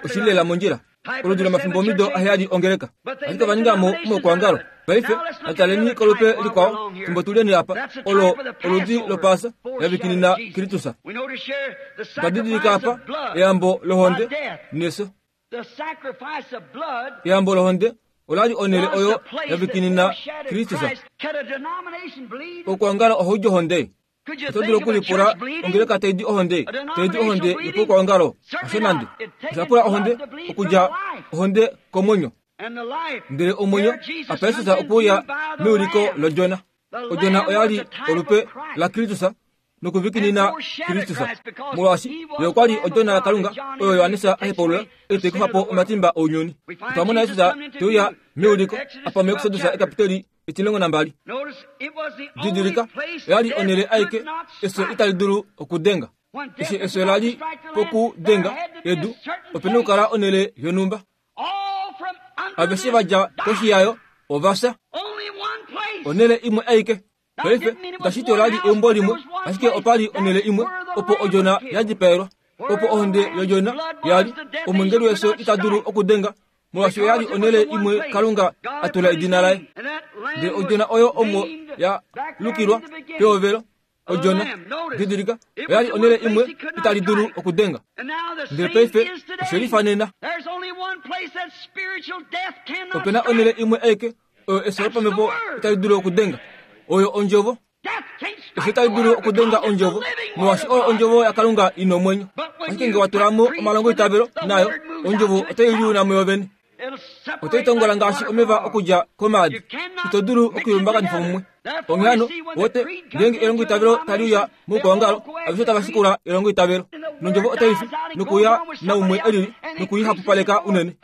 Oshili lela mondjila. Oludi lomafimbomido aheyali ongeleka. Ashike ova ninga mo omaukwaongalo. Paife, nataleni kolupe likwao, fimbo tuleni apa, olo oludi lopaasa yavikinina Kristus. Otwa didilika apa eyambo lohonde nefyo. Eyambo lohonde ola li onhele oyo yavikinina Kristus. Oukwaongalo ohaudi ohonde. Oto dulu okulipula ongeleka taidi ohonde, taidi ohonde yopaukwaongalo. Hasho nande. Osha pula ohonde okudja ohonde komwenyo. Ndele omwenyo apa Jesus okuuya meuliko lodjona. Odjona oya li olupe laKristus nokuvikinina Kristus. Molwaashi ye okwa li odjona yaKalunga oyo Johannes a hepaulula ei tai kufa po omatimba ounyuni. Otwa mona Jesus te uya meuliko apa muExodus ekapiteli etimulongo nambali. Didilika, oya li onhele aike efyo itali dulu okudenga. Eshi efyo la li pokudenga edu, ope na okukala onhele yonhumba. Aveshe va dja koshi yayo ova fya. Onhele imwe aike. Paife itashi ti ola li eumbo limwe, ashike opa li onhele imwe opo odjona ya dipaelwa. Opo ohonde yodjona ya li, omwengeli wefyo ita dulu okudenga, molwaashi oya li onhele imwe Kalunga a tula edina laye. Ndele odjona oyo omo ya lukilwa pehovelo, odjona. Didilika, oya li onhele imwe itali dulu okudenga. Ndele paife oshe lifa nena. Ope na onhele imwe aike oyo efyo lopamhepo itali dulu okudenga. Oyo ondjovo. Efyo itali dulu okudenga ondjovo, molwaashi oyo ondjovo yaKalunga ina omwenyo. Ashike ngee wa tula mo omalongoitavelo nayo, ondjovo otai liuna muyo vene. Otai tongola ngaashi omeva okudja komaadi. Ito dulu okuilumbakanifa mumwe. Onghee hano, wote, ngeenge elongoitavelo tali uya moukwaongalo, aveshe otava shikula elongoitavelo. Nondjovo otai fi, nokuya naumwe elili, nokuihapupaleka unene.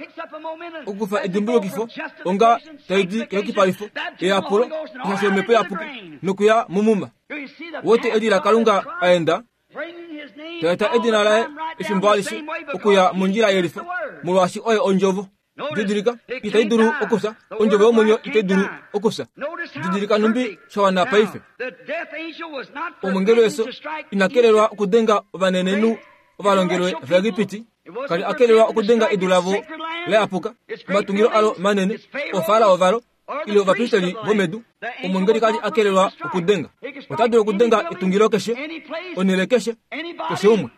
Okukufa edimbulukifo, onga tai di keyukipalifo, eyapulo, oshashi omhepo iyapuki, nokuya mumuma. Wote eli laKalunga aenda, taeta edina laye efimbo alishe okuya mondjila yelifa, molwaashi oye ondjovo. Didilika, itai dulu okufya. Ondjovo yomwenyo itai dulu okufya. Didilika numbi sha wana paife. Omwengeli wefyo ina kelelwa okudenga ovanenenhu ovalongelwe vaEgipiti. Kali a kelelwa okudenga edu lavo la yapuka, omatungilo alo manene, oofarao valo, ile ovapristeli vomedu. Omwengeli kali a kelelwa okudenga. Ota dulu okudenga etungilo keshe, onhele keshe, keshe umwe.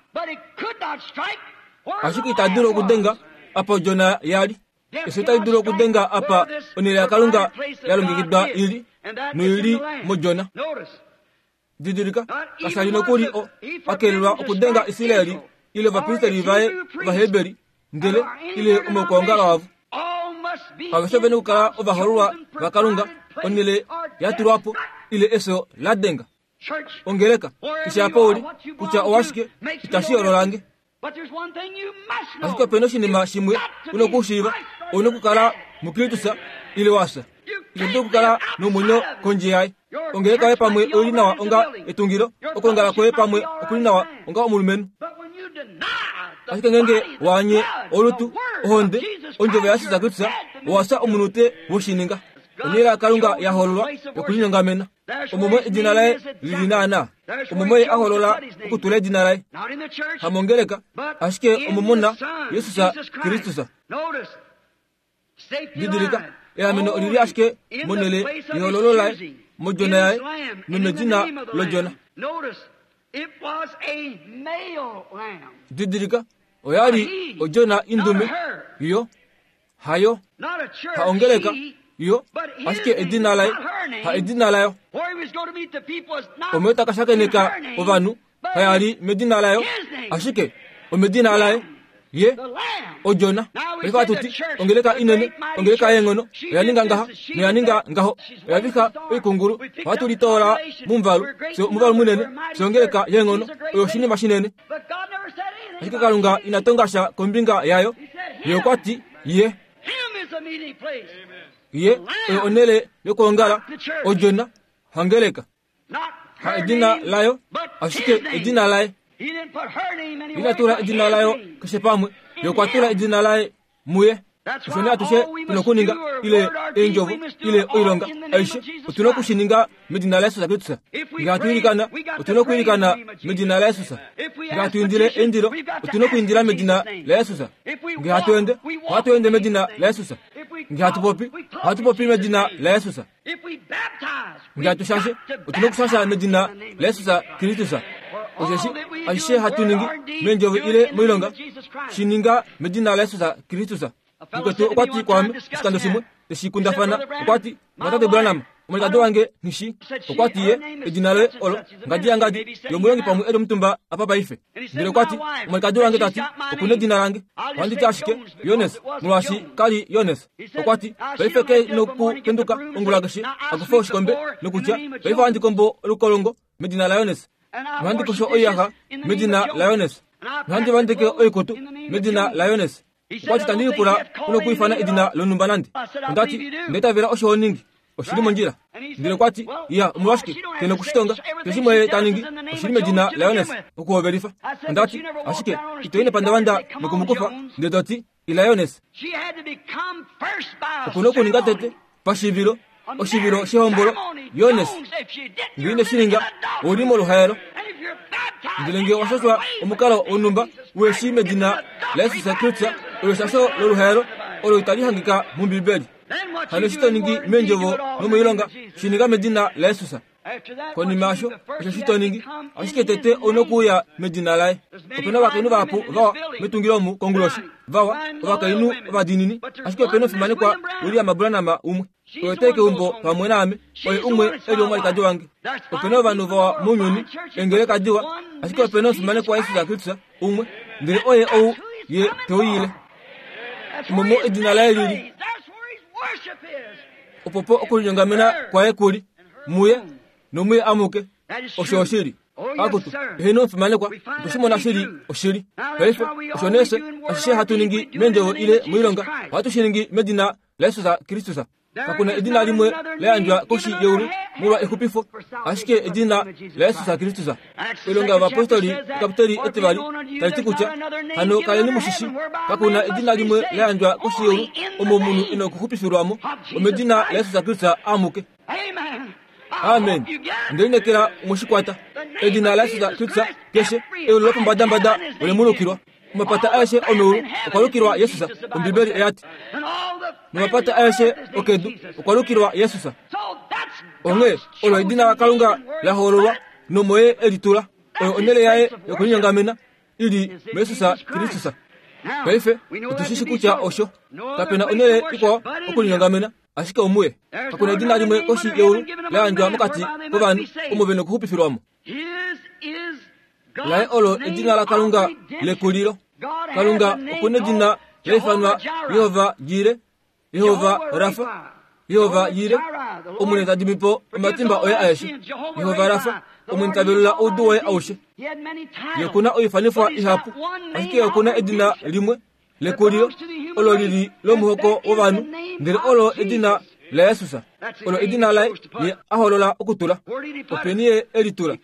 Ashike ita dulu okudenga apa odjona yali. Efyo itali dulu okudenga apa onhele yaKalunga ya longekidwa ili, noili modjona. Didilika, kasha li nokuli o a kelelwa okudenga Israeli ile ovapristeli vaye Ovaheberi, ndele ile omaukwaongalo avo. Aveshe vene okukala ovahoololwa vaKalunga, onhele ya tulwa po ile efyo la denga. Ongeleka, keshe apa uli, kutya owashike, itashi yoololange. Ashike opena oshinima shimwe u na okushiiva, ou na okukala muKristus ile wa fya. Ito dulu okukala nomwenyo kondje yaye. Ongeleka yoye pamwe oi li nawa onga etungilo, okwoongala kwoye pamwe okuli nawa onga omulumenhu. Ashike ngeenge waanye olutu, ohonde, ondjovo yaJesus Kristus, owa fya omunute woshininga. Onhele yaKalunga ya hoololwa yokulinyongamena. Omo edina laye lili naanaa. Omo ye a hoolola okutula edina laye. Hamongeleka, ashike omomona Jesus Kristus. Didilika, eameno olili ashike monhele yehoololo laye, modjona yaye, nomedina lodjona. Didilika, oya li odjona indume, yo hayo, haongeleka, yo ashike edina laye, ha edina layo. Omo ta ka shakeneka ovanhu, kaya li medina layo, ashike omedina laye, ye odjona. Paife ohatu ti, ongeleka inene, ongeleka yeenghono, oya ninga ngaha, noya ninga ngaho, oya vika oikungulu, ohatu litoola momuvalu, fye omuvalu munene, fye ongeleka yeenghono, oyo oshinima shinene. Ashike Kalunga ina tonga sha kombinga yayo, ye okwa ti, ye ye oyo onhele yokwoongala, odjona, hangeleka. Ha edina layo, ashike edina laye. Ina tula edina layo keshe pamwe, ye okwa tula edina laye muye. Osho nee atushe tuna okuninga, ile eendjovo, ile oilonga, aishe, otuna okushininga medina laJesus Kristus. Ngee hatu ilikana, otuna okwiilikana medina laJesus. Ngee hatu indile eindilo, otuna okwiindila medina laJesus. Ngee hatu ende, ohatu ende medina laJesus. Ngee hatu popi, ohatu popi medina laJesus. Ngee hatu shashe, otuna okushasha medina laJesus Kristus. Osheshi ashishe hatu ningi meendjovo ile moilonga, shi ninga medina laJesus Kristus. Mukwetu okwa ti kwaame oshikando shimwe, teshi kundafana, okwa ti, Mwatate Branham, omwalikadi wange nghi Okwa ti ye, edina loye olo ngadi yangadi yomulongi pamwe eli omutumba apa paife. Ndele okwa ti, omwalikadi wange ta ti, oku nedina lange. Ohandi ti ashike, Jones, molwaashi ka li Jones. Okwa ti, paife ke nokupenduka ongula keshe, a kufe oshikombe, nokutya, paife ohandi kombo olukolongo medina laJones. Nohandi kosho oiyaxa medina laJones. Nohandi vandeke oikutu medina laJones. Okwa ti, tandi lipula unokwiifana edina lonhumba nande. Onda ti, ndaitavela osho ho ningi, oshili mondjila. Ndele okwa ti, ya, omolwashike ke nokushitonga? Keshe shimwe ta ningi, oshili medina laJones, okuhovelifa. Onda ti, ashike ito i nepandavanda nokumukufa, ndele to ti, ila Jones. Oku nokuninga tete pashivilo, oshivilo shehombolo, Jones. Ngee ine shi ninga, ou li moluhaelo. Ndele ngee owa shashwa omukalo wonhumba weshi medina laJesus Kristus, olo eshasho loluhaelo olo itali hangika mOmbibeli. Hano eshi to ningi meendjovo nomoilonga, shi ninga medina laJesus. Konima yasho, osho shi to ningi, ashike tete ou nokuuya medina laye. Opena ovakainhu vahapu vawa metungilo omu konguloshi, vawa, ovakainhu ovadiinini, ashike opena omufimanekwa William Branham umwe. Oye tai keumbo pamwe naame, oye umwe eli omwalikadi wange. Opena ovanhu vawa mounyuni, engeleka diwa, ashike opena omufimanekwa Jesus Kristus umwe, ndele oye ou ye teuyile. Omo edina laye lili. Opopo okulinyongamena kwaye kuli muye nomuye amuke. Osho oshili. Akutu, eheno omufimanekwa, otoshimona shili oshili. Paife, osho nese, ashishe hatu ningi mendjovo ile moilonga, ohatu shi ningi medina laJesus Kristus. Kakuna edina limwe la yandjwa koshi yeulu molwa exupifo, ashike edina laJesus Kristus. Oilonga yovapostoli ekapiteli etivali tali ti kutya hano kaleni mushishi, kakuna edina limwe la yandjwa koshi yeulu omo omunhu ina okuxupifilwamo, omedina laJesus Kristus amuke. Amen. Ndelinekela omoshikwata edina laJesus Kristus keshe eulu lopombadambada olemulukilwa. Omapata aeshe omeulu okwa lukilwa Jesus, Ombibeli eyati. Nomapata aeshe okedu okwa lukilwa Jesus. Onghee olo edina laKalunga la hoololwa nomoye elitula, oyo onhele yaye yokulinyongamena ili muJesus Kristus. Paife otushishi kutya osho kapena onhele ikwao okulinyongamena ashike omuye. Kakuna edina limwe koshi yeulu la yandjwa mokati kovanhu omo vena okuxupifilwamo. Laye olo edina laKalunga lekulilo. Kalunga okuna edina laifanwa Yehova Jire, Yehova Rafa, Yehova Jire, Omwene ta dimipo omatimba oye aeshe. Yehova Rafa, Omwene ta velula oudu woye aushe. Ye okuna oifanifwa ihapu, ashike okuna edina limwe lekulilo olo lili lomuhoko wovanhu, ndele olo edina laJesus. Olo edina laye ye a hoolola okutula. Openi ye elitula?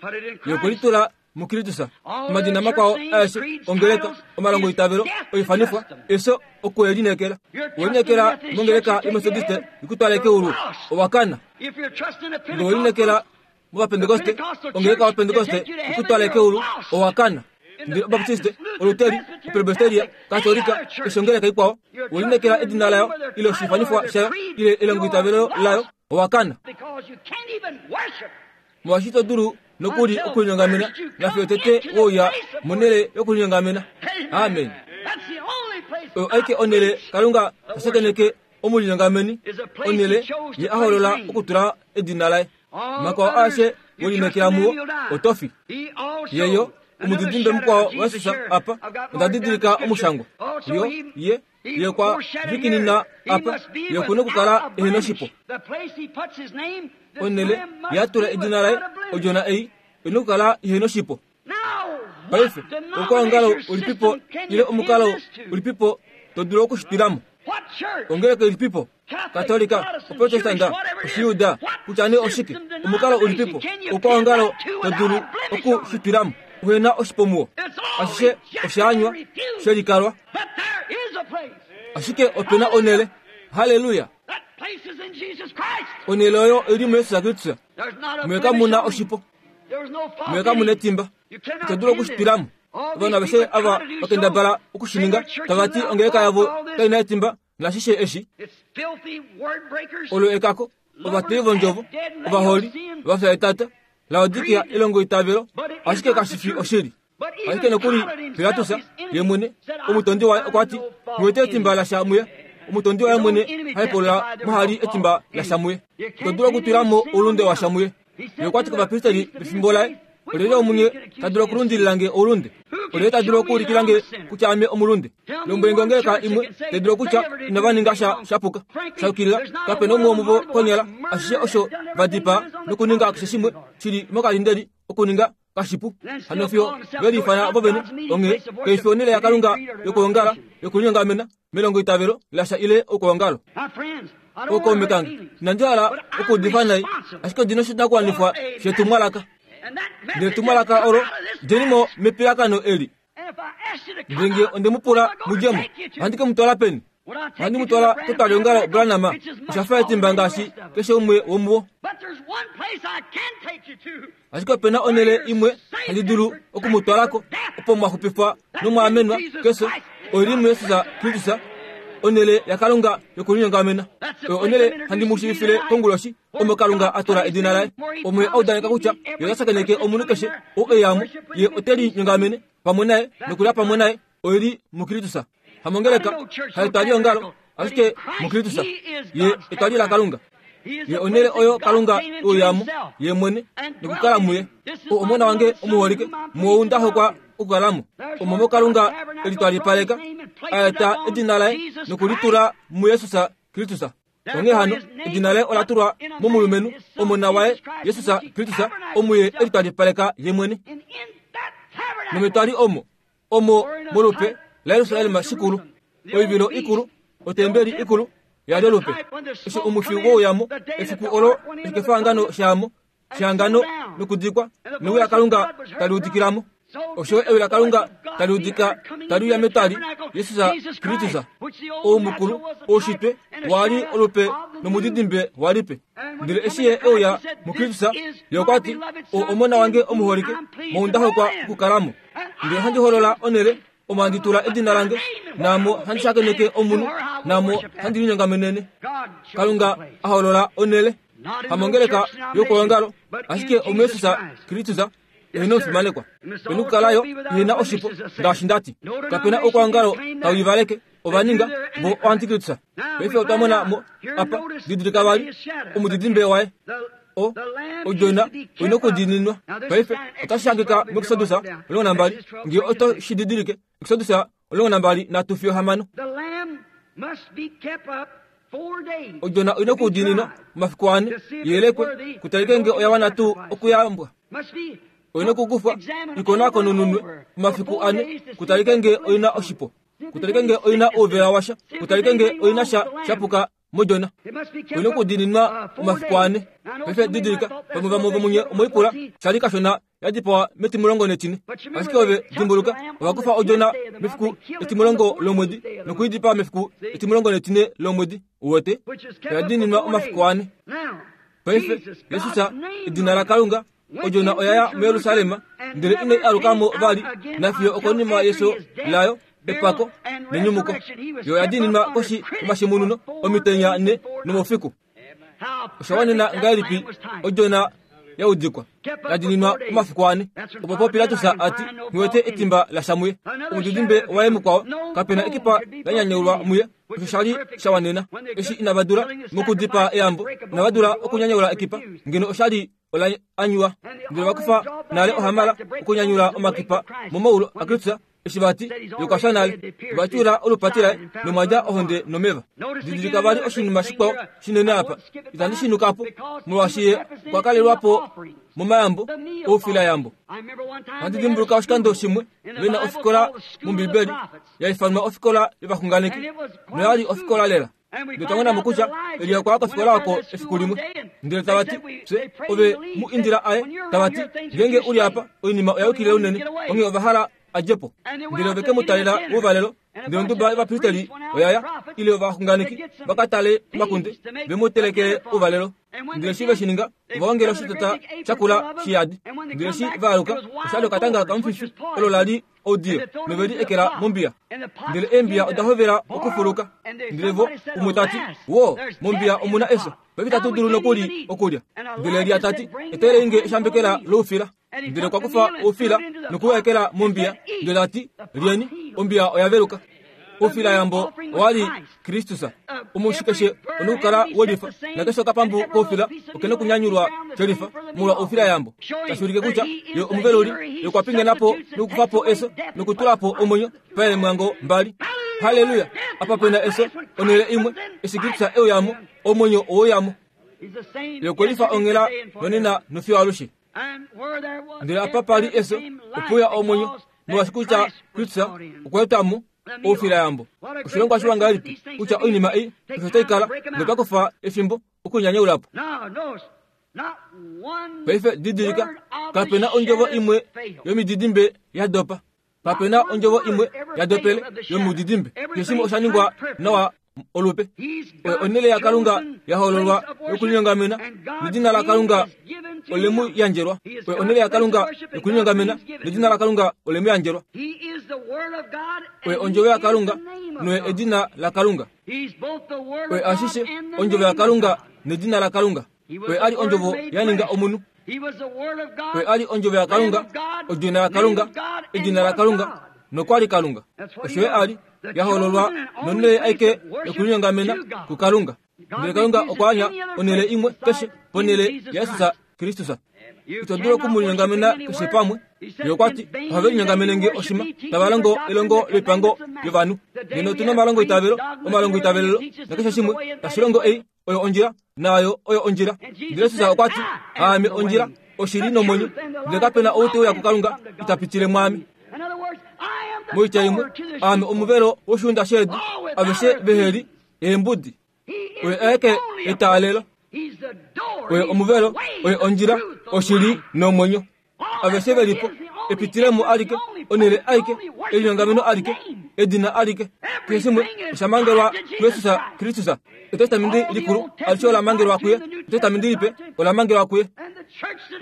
Ye okwelitula muKristus. Omadina makwao aeshe ongeleka, omalongo itavelo, oifanifwa, eso okuelinekela. Owelinekela mongeleka yoMethodiste ikutwale keulu, owakana. Nge owelinekela movapentekoste, ongeleka yovapentekoste ikutwale keulu, owakana. Ndele Obaptiste, Oluteri, Opresbiteria, Katolika, keshe ongeleka ikwao, owelinekela edina layo ile oshifanifwa shayo ile elongo itavelo layo, owakana. Molwaashi to dulu nokuli okulinyongamena nafiyo tete wouya monhele yokulinyongamena. Amen. Oyo aike onhele Kalunga tashakeneke omulinyongameni, onhele ye a hoolola okutula edina laye. Makwao aeshe welinekela muwo otofi. Yeyo omudidimbe mukwao waJesus apa, onda didilika omushangwa. Yo ye ye kwa vikinina apa, ye okuna okukala ehena oshipo. Onhele yatula edina laye odjona ei ina okukala ihena oshipo. Paife okwaongalo ulipipo ile omukalo ulipipo to dulu okushitilamo? Ongeleka ilipipo? Katolika, Oprotestanta, Oshiyuda, kutya nee oshike? Omukalo ulipipo okwaongalo to dulu okushitilamo uhena oshipo muwo? Ashishe oshaanywa shelikalwa, ashike opena onhele. Haleluya! Onhele oyo ili muJesus Kristus. Muye kamuna oshipo, muye kamuna etimba, ito dulu okushitilamo. Ovanhu aveshe ava vakendabala okushininga, tava ti ongeleka yavo kaina etimba nashishe eshi. Olo ekako, ovateyi vondjovo, ovaholi, vafya etata, Laodikia elongo itavelo, ashike kashifi oshili. Ashike nokuli Pilatus ye mwene omutondi waye okwa ti, "Muwete etimba lasha muye." Omutondi waye mwene haipolola mohali etimba lasha muye. Ito dulu okutwila mo oulunde washa muye. Ye okwa ti kovapristeli pefimbo laye, "Olyelye omunye ta dulu okulundililange oulunde? Olyelye ta dulu okuulikilange kutya ame omulunde?" Lombwelenge ongeleka imwe tai dulu okutya inava ninga sha shapuka shayukilila, kapena umwe womuvo konyala ashishe osho va dipaa nokuninga keshe shimwe shili mokalindeli okuninga kashipu. Hano fiyo veliifana vovene, onghee kaifi onhele yaKalunga yokuongala yokulinyongamena melongo itavelo lasha ile okuongalo. Ookaume kange, inandi hala okuudifa nai, ashike odina oshinakuwanifwa shetumwalaka. Ndele etumwalaka olo djenimo mepiyakano eli. Ndele nge onde mu pula mudjemo, ohandi ke mu twala peni? Ohandi mu twala ketwaliongalo Branham, osha fa etimba ngaashi keshe umwe womuwo. Ashike opena onhele imwe handi dulu oku mu twalako, opo mwa xupifwa nomwaamenwa kefyo, oili muJesus Kristus, onhele yaKalunga yokulinyongamena. Oyo onhele handi mu shiivifile konguloshi, omo Kalunga a tula edina laye. Omo ye a udaneka kutya ye ota shakeneke omunhu keshe ou e yamo, ye ote linyongamene pamwe naye nokulya pamwe naye, oili muKristus. Hamongeleka, haetwaliongalo, Ashike muKristus ye etwali laKalunga. Ye onele oyo Kalunga uyamo ye mwene nokukala muye. Omona wange omuholike muou ndahokwa okukalamo. Omo Kalunga elitwalipaleka aeta edina laye nokulitula muYesus Kristus. Onghee hano edina laye ola tulwa momulumenhu omona waye Yesus Kristus omuye elitwalipaleka ye mwene. Nometwali omo omo molupe laYerusalem shikulu oivilo ikulu otembeli ikulu yali olupe. Eshi omufi wouyamo efiku olo ekefangano shamo shangano nokudikwa newi laKalunga tali udikilamo. Osho ewi laKalunga tali udika tali uya metwali Yesus Kristus oumukulu oushitwe wali olupe nomudidimbe walipe. Ndele eshi ye euya muKristus ye okwa ti omona wange omuholike moundahokwa okukalamo. Ndele handi holola onele omo handi tula edina lange namo handi shakeneke omunhu namo handi linyongamenene. Kalunga aholola onele hamongeleka yokuongalo ashike omuYesus Kristus ehena omufimanekwa penukukalayo ihena oshipo ngaashi ndati. Kapena okuongalo tauivaleke ovaninga vo oantikristus. Paife otwa mona mo apa didilika vali omudidimbe waye o odjona oina okudiininwa. Paife otashi hangika muExodus omulongo nambali ngee oto shi didilike. Exodus omulongo nambali nhatu fiyo hamano. Odjona oina okudiininwa omafiku ane yelekwe kutalike ngee oya wana tuu okuyambwa. Oina okukufwa ikonakonununwe omafiku ane kutalike ngee oina oshipo. Kutalike ngee oina ouvela washa. Kutalike ngee oina sha shapuka modjona. Oina okudiininwa omafiku ane. Paife didilika pamwe vamwe vomunye omoipula shali kashona yadipawa metimulongo netine. Ashike ove dimbuluka ovakufa odjona mefiku etimulongo lomwedi nokuidipa mefiku etimulongo netine lomwedi uwete yadiininwa omafiku ane. Paife Yesus edina laKalunga odjona oyaya muYerusalem ndele inai alukamo vali nafiyo okonima yeso layo epako nenyumuko. Yo yadiininwa koshi yomashimununo omitenya ne nomoufiku. Osha wanena ngahelipi odjona yaudikwa yadiininwa omafiku ane. Opo po Pilatus ati nghiwete etimba lasha muye. Omudidimbe waye mukwao kapena ekipa lanyanyaulwa muye. Osho shali shawanena. Eshi inavadula mokudipa eyambo inavadula okunyanyaula ekipa ngeno oshali ola anyuwa. Ndele vakufa nale ohamala okunyanyula omakipa momaulo aKristus eshi vati yokwasha nale vatyula olupati laye nomwadja ohonde nomeva. Didilika vali oshinima shikwao shinene apa itandi shinukapo molwaashi ye okwa kalelwapo momayambo oufilayambo. Ohandi dimbuluka oshikando shimwe vena ofikola mOmbibeli yaifanwa ofikola yovaxunganeki noyali ofikola lela. Ndele twamona kutya Elia okwa ya kofikola oko efiku limwe. Ndele tavati fye ove mu indila aye tavati ngeenge uli apa oinima oya yukilile unene onghee ovahala adjepo. Ndele ove ke mu talela ouvalelo. Ndele onduba yovapristeli oyaya ile ovaxunganeki vakatale omakunde ve mu telekele ouvalelo. Ndele eshi ve shi ninga ovaongela oshitota shakula shiyadi. Ndele eshi vaaluka oshali okatanga kamufifi olo lali oudiyo noveli ekela mombiya. Ndele eembiya oda hovela okufuluka. Ndele vo umwe tati wo mombiya omuna eso paife itatu dulu nokuli okulya. Ndele Elia tati eteleinge eshambekela loufila. Ndele okwa kufa oufila nokuwekela mombiya. Ndele tati lyeni ombiya oya veluka. Oufilayambo owali Kristus. Omushi keshe onokukala welifa nakeshe okapambu koufila okena okunyanyulwa shelifa molwa oufilayambo. Tashi ulike kutya ye omuveluli ye okwa pingenapo nokukufapo eso nokutulapo omwenyo paemhango mbali. Haleluya! Apa pena eso onele imwe eshi Kristus euyamo omwenyo ouyamo. Ye okwelifa onghela nonena nofiyo alushe. Ndele apa pali eso opuya omwenyo molwaashi kutya Kristus okweetamo oufilayambo. Oshilongwa shiwa ngahelipi kutya oinima ei osho tai kala notwa kufa efimbo okunyanyaulapo. Paife didilika kapena ondjovo imwe yomididimbe ya dopa. Kapena ondjovo imwe ya dopele yomudidimbe. Keshe shimwe osha ningwa nawa olupe. Onele yaKalunga yahololwa yokulinyongamena nedina laKalunga olemu yandjelwa. Onele yaKalunga yokulinyongamena nedina laKalunga olemu yandjelwa. Oye ondjovo yaKalunga noye edina laKalunga. Oye ashishe ondjovo yaKalunga nedina laKalunga. Oye ali ondjovo yaninga omunhu. Oye ali ondjovo yaKalunga, odina laKalunga, edina laKalunga Nokwali Kalunga. Osho ye ali yahololwa nonhele aike yokulinyongamena kuKalunga. Ndele Kalunga okwa anya onhele imwe keshe ponhele yaJesus Kristus. Ito dulu okumulinyongamena keshe pamwe. Ye okwa ti ohave linyongamene nge oshima tava longo elongo loipango yovanhu. Ngeno otuna omalongo itavelo, omalongo itavelelo nakeshe shimwe tashi longo ei oyo ondjila naayo oyo ondjila. Ndele Jesus okwa ti aame ondjila, oshili nomwenyo, ndele kapena ou te uya kuKalunga ita pitile mwaame. Moitya imwe, aame omuvelo woshiunda shedu, aveshe veheli eembudi. Oye aeke etaalelo, oye omuvelo, oye ondjila, oshili nomwenyo. Aveshe velipo epitilemo alike, onhele aike, elinyongameno alike, edina alike. Keshe shimwe osha mangelwa kuJesus Kristus. Etestamenti likulu alishe ola mangelwa kuye, etestamenti lipe ola mangelwa kuye,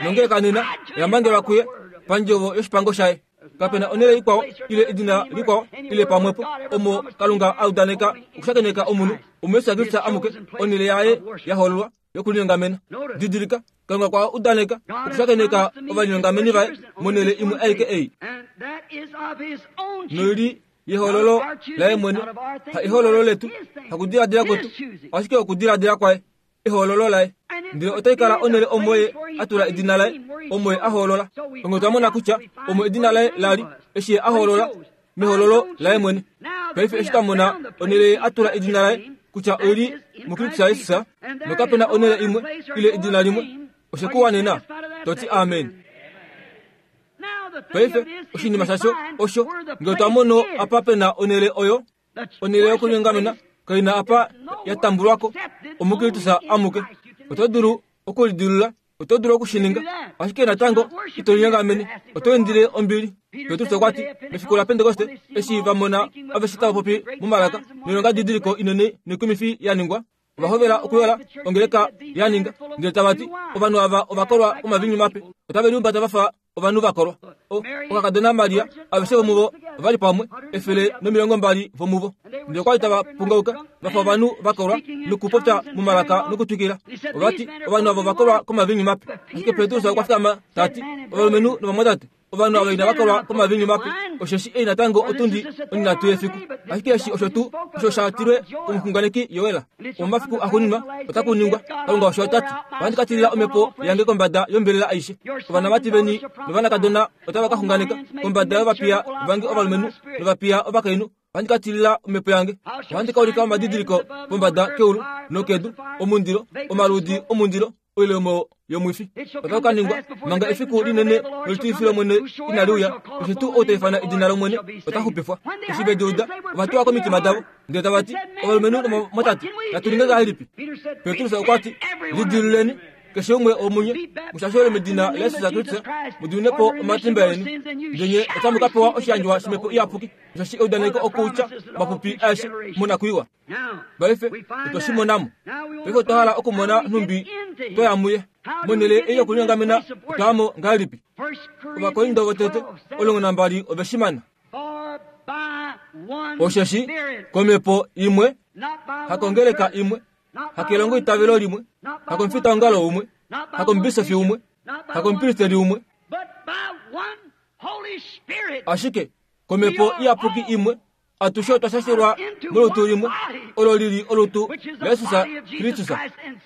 nongeleka nena oya mangelwa kuye pandjovo yoshipango shaye. Kapena onhele ikwao ile edina likwao ile pamwepo omo Kalunga a udaneka okushakeneka omunhu omuYesus Kristus amuke onhele yaye yahololwa yokulinyongamena. Didilika, Kalunga kwa udaneka okushakeneka ovalinyongameni vaye monhele imwe aike ei. Noili yehololo laye mwene, ha ehololo letu, hakudiladila kwetu, ashike okudiladila kwaye, ehololo laye. Ndele otai kala onhele omo ye a tula edina laye, omo ye a hoolola. Onge twa mona kutya omo edina laye lali eshi ye a hoolola mehololo laye mwene. Paife eshi twa mona onhele ye a tula edina laye kutya oili muKristus Jesus, nokapena onhele imwe ile edina limwe, oshekuwanena toti amen. Paife oshinima shasho osho ngele twa mono apa pena onhele oyo, onhele yokulinyongamena kaina apa ya tambulwako omuKristus amuke. Oto dulu okulidilula, oto dulu okushininga, ashike natango ito linyongamene, oto indile ombili. Petrus okwa ti mefiku la Pentekoste eshi va mona aveshe tava popi momalaka noilonga didiliko inene noikumifi ya ningwa, ova hovela okuyola ongeleka ya ninga, ndele tava ti ovanhu ava ovakolwa omavinyu mape, otave liumbata vafa ovanhu vakolwa. Okakadona Maria aveshe vomuvo ovali pamwe efele nomilongo mbali vomuvo, ndele okwali tava pungauka vafa ovanhu vakolwa nokupopya momalaka nokutwikila. Ovati ovanhu avo vakolwa komavinyu mape. Ashike Petrus okwa fikama tati ovalumenhu novamwatate, ovanhu ava inava kolwa komavinyu mape, osheshi ei natango otundi onhinhatu yefiku. Ashike eshi osho tuu osho sha tilwe komuxunganeki Joel. Omomafiku axuuninwa otaku ningwa, Kalunga osho ta ti, ohandi ka tilila omhepo yange kombada yombelela aishe. Ovanamati veni novanakadona otava ka xunganeka, kombada yovapiya vange ovalumenhu novapiya ovakainhu ohandi ka tilila omhepo yange. Ohandi ka ulika omadidiliko pombada keulu nokedu, omundilo, omaludi omundilo, oilemo yomwifi. Otaku ka ningwa manga efiku linene nolitilifilo lOmwene inali uya, keshe tuu ou ta ifana edina lOmwene ota xupifwa. Eshi ve di uda, ova tuwa komitima davo, ndele tava ti, ovalumenhu novamwatate, natu ninge ngahelipi? Petrus okwa ti, lidiluleni keshe umwe womunye, mushashole medina laJesus Kristus, mudimine po omatimba eni, ndele nye otamu ka pewa oshiyandjwa shomhepo iyapuki, osheshi eudaneko okutya mapupi aeshe monakwiiwa. Paife otwe shi monamo. Paife otwa hala okumona nhumbi twaya muye. Monhele ei yokulinyongamena otwayamo ngahelipi? Ovakorinto votete omulongo nambali ove shi mana. Osheshi komhepo imwe, hakongeleka imwe, hakelongo itavelo limwe, hakomufitaongalo umwe, hakomubisofi umwe, hakomupristeli umwe, ashike komhepo iyapuki imwe atushe otwa shashelwa molutu limwe, olo lili olutu laJesus Kristus,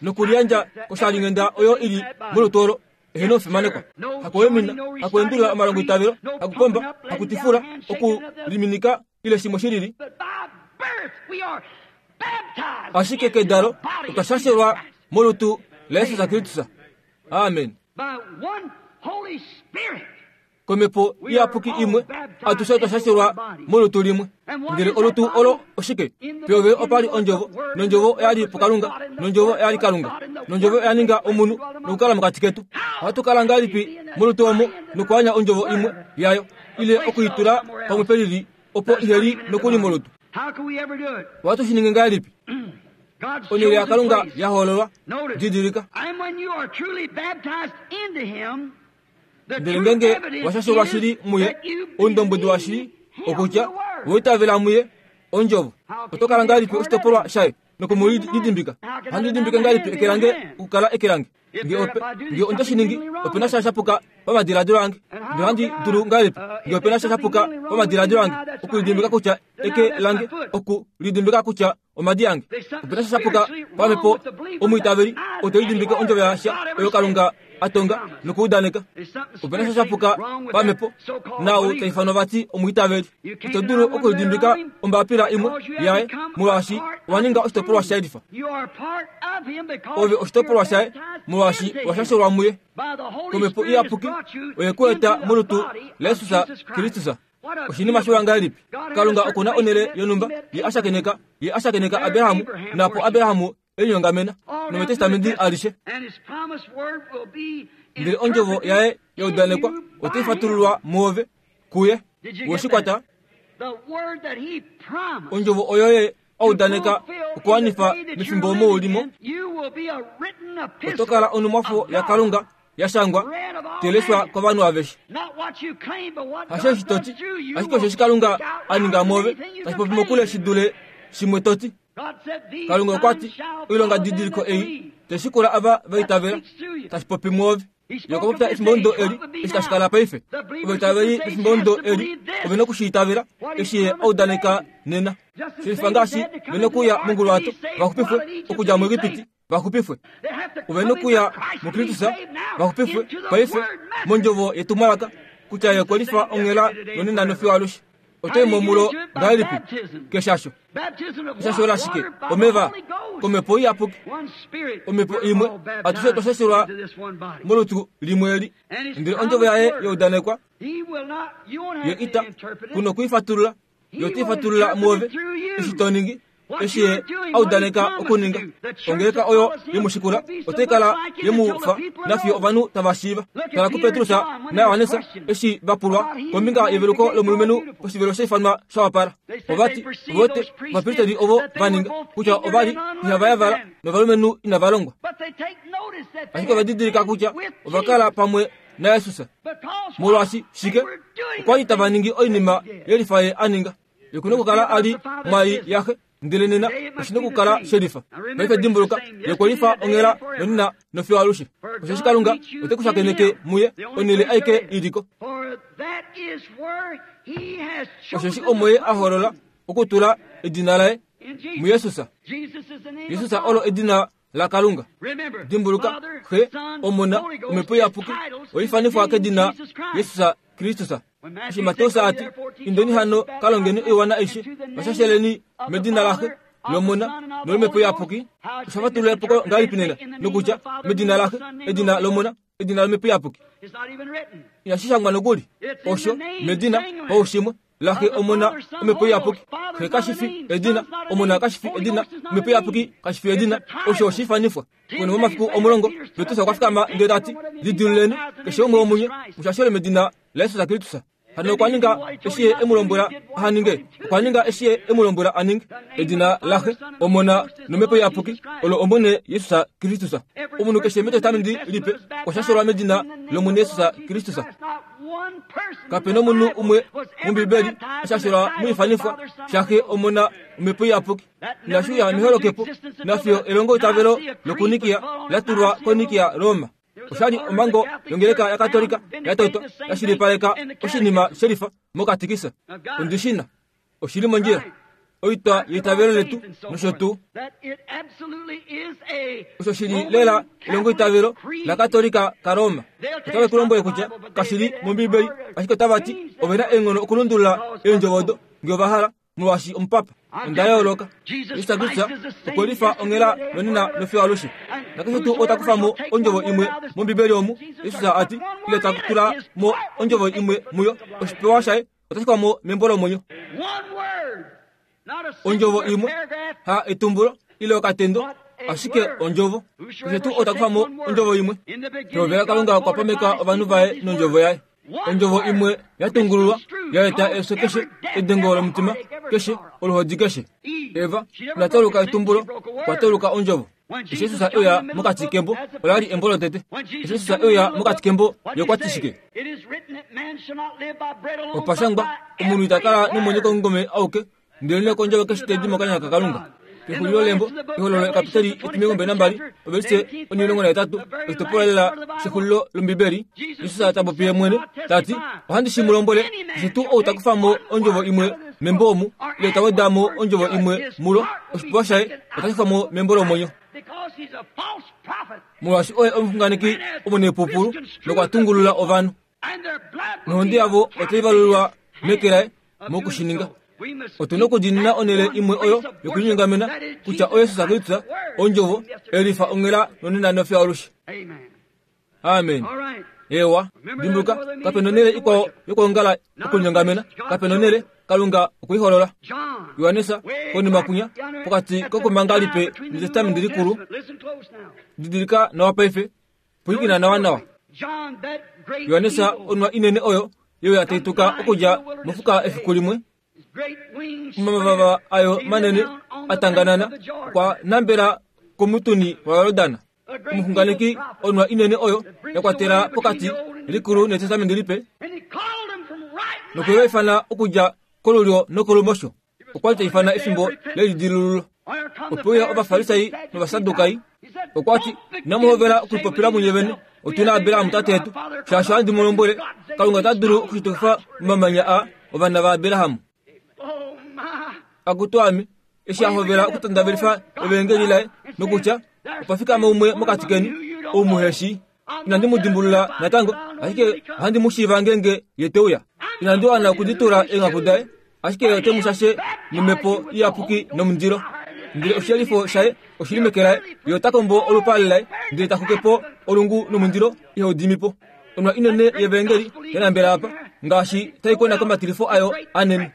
nokuliyandja koshalinghenda oyo ili molutu olo ehena ofimanekwa. Hakuwemina, hakuendulula omalongo itavelo, hakupomba, hakutifula, okuliminika ile shimwe shilili. Ashike kedalo otwa shashelwa molutu laJesus Kristus. Amen. Komhepo iyapuki imwe atushe otwa shashelwa molutu limwe. Ndele olutu olo oshike? Peove opali ondjovo, nondjovo oyali puKalunga, nondjovo oyali Kalunga, nondjovo oya ninga omunhu nokukala mokati ketu. Ohatu kala ngahelipi molutu omo nokuanya ondjovo imwe yayo, ile okuitula pamwe pelili opo iheli nokuli molutu? Ohatu shi ninge ngahelipi? Onhele yaKalunga ya hoololwa. Didilika. Ndele ngenge washashelwa shili muye, oundombwedi washili okutya woitavela muye ondjovo, oto kala ngahelipi oshitopolwa shaye nokumuli lidimbika? Ohandi lidimbike ngahelipi eke lange okukala eke lange? Nge ope nge onde shi ningi ope na sha shapuka pamadiladilo ange. Nge ohandi dulu ngahelipi nge ope na sha shapuka pamadiladilo ange okulidimbika kutya eke lange okulidimbika kutya omadi ange. Ope na sha shapuka pamhepo omwiitaveli ote lidimbike ondjovo yasha oyo Kalunga atonga nokuudaneka. Ope na sha shapuka pamhepo nau taifanwa vati omwiitaveli. Ito dulu okulidimbika ombapila imwe yaye molwaashi owa ninga oshitopolwa shaye lifa. Ove oshitopolwa shaye molwaashi washashelwa muye. Komhepo iyapuki oye ku eta molutu laJesus Kristus. Oshinima shiwa ngahelipi? Kalunga okuna onhele yonhumba ye ashakeneka ye ashakeneka Abrahamu napo Abrahamu enyongamena nometestamenti alishe. Ndele ondjovo yaye yaudanekwa otai fatululwa muove kuye. Weshikwata ondjovo oyo ye audaneka okuwanifa mefimbo omo ulimo. Oto kala onumwafo yaKalunga yashangwa teleshwa kovanhu aveshe. Hasheshi toti ashike osheshi Kalunga aninga muove tashi popi mokule shi dule shimwe toti. Kalunga okwa ti oilonga didiliko ei teshikula ava vaitavela tashi popi muove. Yokopopya efimbo ndo eli eshi tashi kala paife. Ovaitaveli efimbo ndo eli ove nokushiitavela eshi ye audaneka nena. Shelifa ngaashi ve nokuya monguluwato vaxupifwe okudja muEgipiti vaxupifwe. Ove nokuya muKristus vaxupifwe paife mondjovo yetumwalaka kutya ye okwe lifa onghela nonena nofiyo alushe. Oto momulo ngahelipi keshasho. Eshasho lashike? Omeva komhepo iyapuki. Omhepo imwe atushe twashashelwa molutu limwe eli. Ndele ondjovo yaye yaudanekwa ye ita kuno kuifatulula yo tifatulula muove eshi to ningi eshi ye audaneka okuninga. Ongeleka oyo yemushikula otai kala yemufa nafiyo ovanhu tava shiiva. Tala kuPetrus naJohannes eshi vapulwa kombinga yeveluko lomulumenhu poshivelo shaifanwa shawapala. Ovati vote ovapristeli ovo vaninga kutya ovali ihava yavala novalumenhu inava longwa. Ashike ovadidilika kutya ovakala pamwe naJesus. Molwaashi shike? Okwa li tava ningi oinima yelifa ye aninga. Yokuna okukala ali mwai yaxe ndele nena oshina okukala shelifa. Paife dimbuluka yekwelifa onghela nonena nofiyo alushe. Osheshi Kalunga ote ku shakeneke muye onhele aike iliko. Osheshi omo ye a holola okutula edina laye muJesus. Jesus olo edina laKalunga. Dimbuluka Xe, Omona, Omhepo Iyapuki oifanifwa kedina Jesus Kristus. Eshi Mateus ati indeni hano kalongeni oiwana aishe vashasheleni medina laxe lomona nolomhepo iyapuki. Oshafatulula epuko ngahelipi nena nokutya medina laxe edina lomona edina lomhepo iyapuki. Inashi shangwa nokuli osho medina paushimwe laxe omona omhepo iyapuki. Xe kashifi edina, omona kashifi edina, omhepo iyapuki kashifi edina. Osho oshifanifwa. Konima momafiku omulongo Petrus okwa fikama ndele tati lidiluleni keshe umwe womunye mushashele medina laJesus Kristus. Hano okwa ninga eshi ye emulombwela ahaninge. Okwa ninga eshi ye emulombwela aninge. Edina laxe omona nomhepo iyapuki olo omwene Jesus Kristus. Omunhu keshe metestamenti lipe okwa shashelwa medina lOmwene Jesus Kristus. Kape nomunhu umwe mOmbibeli ashashelwa muifanifwa shaxe omona omhepo iyapuki. Inashiuya meholokepo nafiyo elongo itavelo lokunikia latulwa konikia Roma. Oshali omhango yongeleka yaKatolika yatotwa yashilipaleka oshinima shelifa mokatikisa. Ondishina oshili mondjila oitwa yeitavelo letu nosho tuu. Osho shili lela elongo itavelo laKatolika kaRoma. Otave ku lombwele kutya kashili mOmbibeli, ashike otava ti ove na eenghono okulundulula eendjovo odo ngee ova hala molwaashi omupapa. Onda yooloka. Jesus Kristus okwe lifa onghela nonena nofiyo alushe. Nakeshe tuu ota kufa mo ondjovo imwe mOmbibeli omu, Jesus ati ile ta tula mo ondjovo imwe muyo, oshipewa shaye otashi kufa mo membo lomwenyo. Ondjovo imwe ha etumbulo ile okatendo, ashike ondjovo. Keshe tuu ota kufa mo ondjovo imwe. Pehovela Kalunga okwa pameka ovanhu vaye nondjovo yaye. Ondjovo imwe yatungululwa yaeta efyo keshe, edengo lomutima keshe, oluhodi keshe. Eva inatauluka etumbulo, okwa tauluka ondjovo. Eshi Jesus euya mokati kembo, ola li embo lotete. Eshi Jesus euya mokati kembo, ye okwa ti shike? Opa shangwa, omunhu ita kala nomwenyo komungome auke, ndele nokondjovo keshe tedi mokanya kaKalunga. Pexulilo lembo ehololo ekapiteli etimilongo mbali nambali ovelise onimilongo nahetatu oshitopolwa lela shexulilo lombibeli Jesus ta popi ye mwene tati ohandi shi mu lombwele keshe tuu ou ta kufa mo ondjovo imwe membo omu ile ta weda mo ondjovo imwe mulo oshipewa shaye otashi kufa mo membo lomwenyo molwaashi oye omuxunganeki omunepupulu nokwa tungulula ovanhu nohonde yavo otai valulwa meke laye mokushininga. Otuna okudiinina onhele imwe oyo yokulinyongamena kutya oYesus Kristus ondjovo elifa onghela nonena nofiyo alushe. Amen. Ewa, dimbuluka kapena onhele ikwao yokwoongala okulinyongamena, kapena onhele Kalunga okuiholola. Johannes konima kunya pokati kokumanga lipe netestamenti likulu. Didilika nawa paife, pwilikina nawa nawa. Johannes onwa inene oyo yo ya taituka okudja mofuka efiku limwe. Omavava ayo manene atanganana okwa nambela komutuni waYordana. Omuxunganeki onwa inene oyo ya kwatela pokati likulu netestamenti lipe nokuifaifana okudja kolulyo nokolumosho. Okwa li taifana efimbo lelidilululo. Opo uya ovafarisai novasadukai. Okwa ti inamu hovela okulipopila munye vene, otuna Abraham tate yetu, shaashi ohandi mu lombwele Kalunga ota dulu okushitukifa omamanya a ovana vaAbraham. Akutu ame, eshi a hovela okutandavelifa evangeli laye nokutya opa fikama umwe mokati keni ou muheshi. Inandi mu dimbulula natango, ashike ohandi mu shiiva ngeenge ye te uya. Inandi wana okuditula eenghaku daye, ashike ye ote mu shashe nomhepo iyapuki nomundilo. Ndele oshiyelifo shaye oshili meke laye, ye ota kombo olupale laye, ndele ta xuke po olungu nomundilo ihau dimi po. Onwa inene yevangeli yanambela apa, ngaashi tai kona komatilifo ayo anene.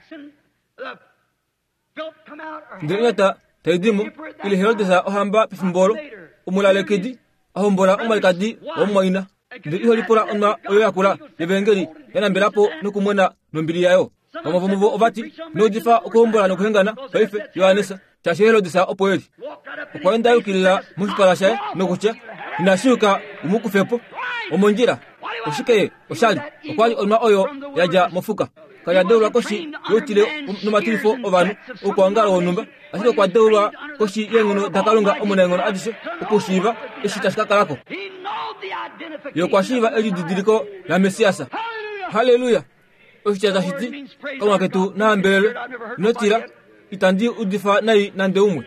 Ndele onyata tai di mo, ile Herodes ohamba pefimbo olo, omulalekidi a hombola omwalikadi womumwaina. Ndele iho lipula onwa oyo yakula yevangeli yanambela po nokumona nombili yayo. Vamwe vomuvo ovati inoudifa okuhombola nokuhengana paife Johannes, shaashi Herodes opo eli. Okwa enda yukilila moshipala shaye nokutya inashi yuka umu kufe po omondjila. Oshike oshali? Okwa li onwa oyo yadja mofuka. Kali a deulwa koshi youtile nomatilifo ovanhu oukwaongalo wonhumba, ashike okwa deulwa koshi yeenghono daKalunga omunaenghono adishe okushiiva eshi tashi ka kalako. Ye okwa shiiva elididiliko laMessias. Halleluya! Oshitya tashi ti Kalunga ketu na hambelelwe. Ino tila, itandi udifa nai nande umwe.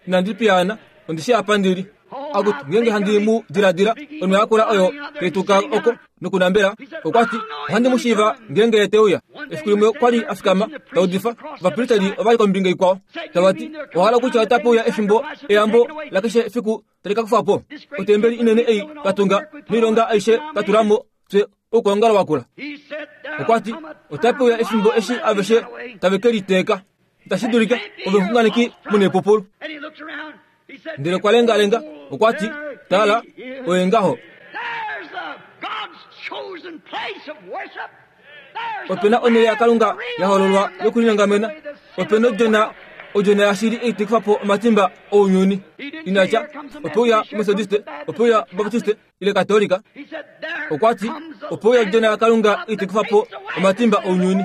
Inandi piyaana, ondi shii apa ndili. Akutu, ngeenge handi mu diladila, onwa yakula oyo taituka oko nokunambela, okwa ti ohandi mu shiiva ngeenge ye te uya. Efiku limwe okwa li a fikama ta udifa, ovapristeli ova li kombinga ikwao tava ti owa hala kutya otape uya efimbo eyambo lakeshe efiku tali ka kufwa po. Otembeli inene ei twa tunga noilonga aishe twa tula mo fye oukwaongalo wakula. Okwa ti otape uya efimbo eshi aveshe tave ke liteeka. Itashi dulika ove omuxunganeki munepupulu. Ndele okwa lengalenga, okwa ti tala, oye ngaho. Opena onhele yaKalunga ya hololwa yokulinyongamena. Opena odjona, odjona yashili ei tai kufa po omatimba ounyuni. Inatya ope uya Methodiste, ope uya Baptiste ile Katolika. Okwa ti ope uya odjona yaKalunga ei tai kufa po omatimba ounyuni.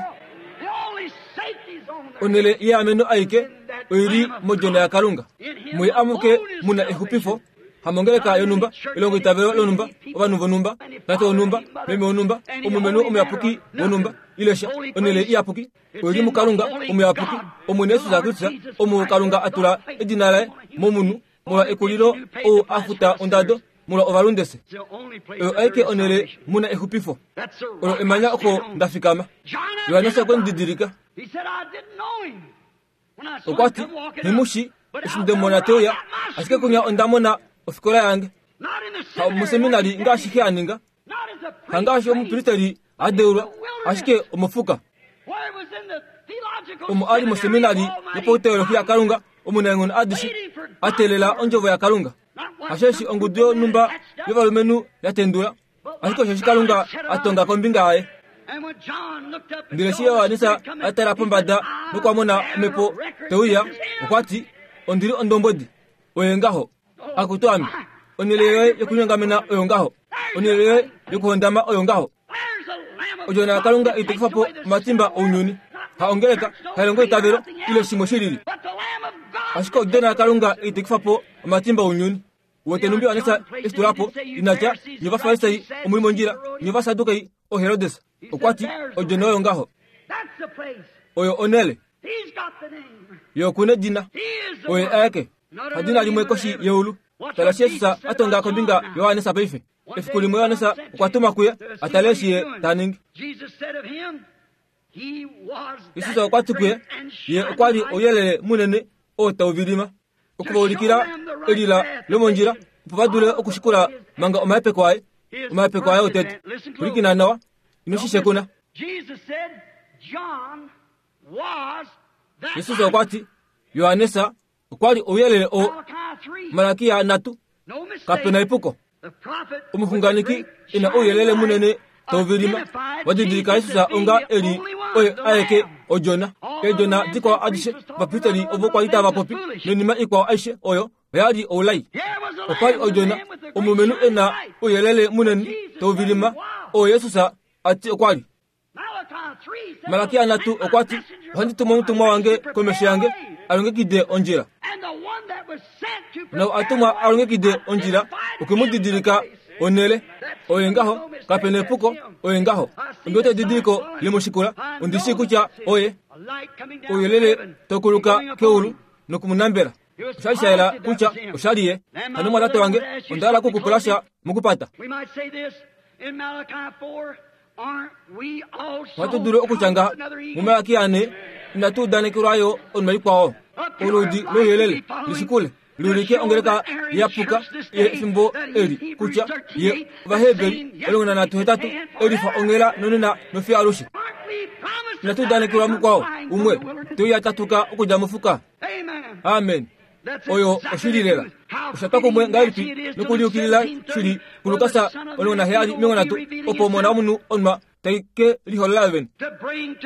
Onhele yeameno aike oili modjona yaKalunga. Muye amuke muna exupifo, hamongeleka yonhumba, elongo itavelo lonhumba, ovanhu vonhumba, tate wonhumba, meme wonhumba, omulumenhu omuyapuki wonhumba, ile sha. Onhele iyapuki oili muKalunga omuyapuki, Omwene Jesus Kristus, omu Kalunga a tula edina laye momunhu molwa ekulilo ou a futa ondado molwa ovalundese. Oyo aike onhele muna exupifo. Olo emanya oko nda fikama. Johannes okwe mu didilika. Okwa ti nghimushi eshi nde mona te uya, ashike kunya onda mona ofikola yange. Ha omuseminari ngaashi xe a ninga, hangaashi omupristeli a deulwa, ashike omofuka. Omo a li moseminari yopauteolohi yaKalunga omunaenghono adishe, a teelela ondjovo yaKalunga. Hasheshi ongudu yonhumba yovalumenhu ya tendula, ashike osheshi Kalunga a tonga kombinga yaye. Ndele eshi Johannes a tala pombada nokwa mona omhepo te uya, okwa ti ondi li ondombwedi, oye ngaho. Akutu ame, onhele yoye yokulinyongamena oyo ngaho, onhele yoye yokuhondama oyo ngaho. Odjona yaKalunga ei tai kufa po omatimba ounyuni. Ha ongeleka, ha elongo itavelo, ile shimwe shilili. Ashike odjona yaKalunga itekifa po omatimba ounyuni. Wete numbi Yohanesa eshitulapo inatya nye Ovafarisai omuli mondjila, nye Ovasadukei oHerodes. Okwa ti odjona oyo ngaho. Oyo onele. Ye okuna edina. Oye aeke. Hadina limwe koshi yeulu. Tala Jesus atonga kombinga Yohanesa paife. Efiku limwe Yohanesa okwa tuma kuye atale eshi ye ta ningi. Jesus okwa ti kuye ye okwa li ouyelele munene oo tau vilima. Okuvaulikila elila lomondjila opo va dule okushikula manga omahepeko aye. Omahepeko aye otete. Pwilikina nawa, ino shi shekuna. Jesus okwa ti Yohanesa okwa li ouyelele oo. Malakia nhatu, kapena epuko. Omuxunganeki ena ouyelele munene tau vilima wadidilika Jesus onga eli oye aeke odjona. Eedjona dikwao adishe ovapristeli ovo kwa li tava popi noinima ikwao aishe oyo oya li oulai. Okwa li odjona omulumenhu ena ouyelele munene tau vilima oo Jesus ati okwa li. Malakia nhatu okwa ti ohandi tumu omutumwa wange komesho yange alongekide ondjila. Nau atumwa alongekide ondjila okwe mu didilika onele. Oye ngaho, kapena epuko, oye ngaho. Ondi wete edidiliko lemushikula, ondi shii kutya oye ouyelele tokuluka keulu nokumunambela. Osha li sha yela kutya osha li ye. Hano mwatate wange, onda hala okukupula sha mokupata. Ohatu dulu okutya ngaha muMalakia ane, inatu udanekelwa yo oinima ikwao. Oludi louyelele lishikule liulike ongeleka yapuka yefimbo eli kutya ye Ovaheberi omulongo nanhatu hetatu elifa onghela nonena nofiyo alushe. Inatu udanekelwa mukwao umwe teuya tatuka okudja mofuka. Amen. Oyo oshili lela. Osha twa kumwe ngahelipi nokuliukilila shili kuLukas omulongo naheyali omilongo nhatu opo omona womunhu onwa tai ke liholola vene.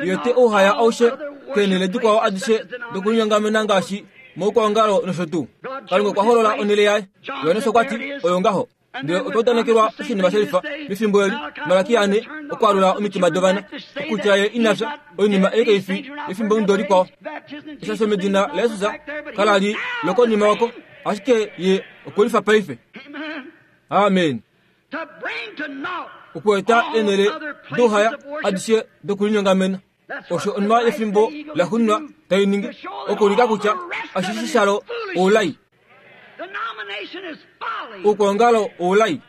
Ye te ouhaya aushe keenhele dikwao adishe dokulinyongamena ngaashi moukwaongalo nosho tuu. Kalunga okwa holola onhele yaye. Johannes okwa ti oyo ngaho. Ndele otwa udanekelwa oshinima shelifa mefimbo eli. Malakia ane okwaalula omitima dovana okutya ye ina fya oinima ei kai fi yefimbomudo likwao. Eshasho medina laJesus kala li lokonima oko, ashike ye okwe lifa paife. Amen. Okueta eenhele douhaya adishe dokulinyongamena. Osho onwa yefimbo laxuuninwa tai ningi okuulika kutya ashishe shalo oulai. Oukwaongalo oulai.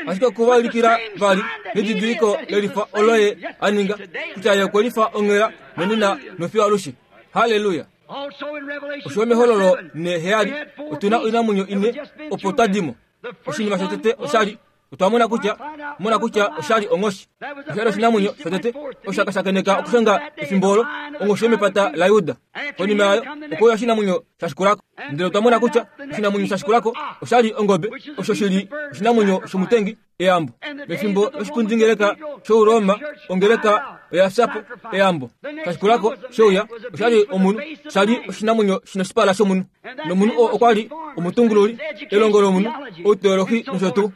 Ashike okuvaulikila vali nedidiliko lelifa olo ye a ninga kutya ye okwe lifa onghela nonena nofiyo alushe. Halleluya. Osho mehololo neheyali otuna oinamwenyo ine opo twa dimo. Oshinima shotete oshali otwa mona kutya mona kutya oshali onghoshi. Oshali oshinamwenyo shotete oshakashakeneka okushanga efimbo olo onghoshi yomepata laJuda. Konima yayo okouya oshinamwenyo shashikulako. Ndele otwa mona kutya oshinamwenyo shashikulako oshali ongobe, osho shili oshinamwenyo shomutengi eyambo. Mefimbo loshikundingeleka shOuroma ongeleka oya fya po eyambo. Shashikulako shouya oshali omunhu, shali oshinamwenyo shina oshipala shomunhu. Nomunhu oo okwa li omutungululi, elongo lomunhu, outeolohi nosho tuu.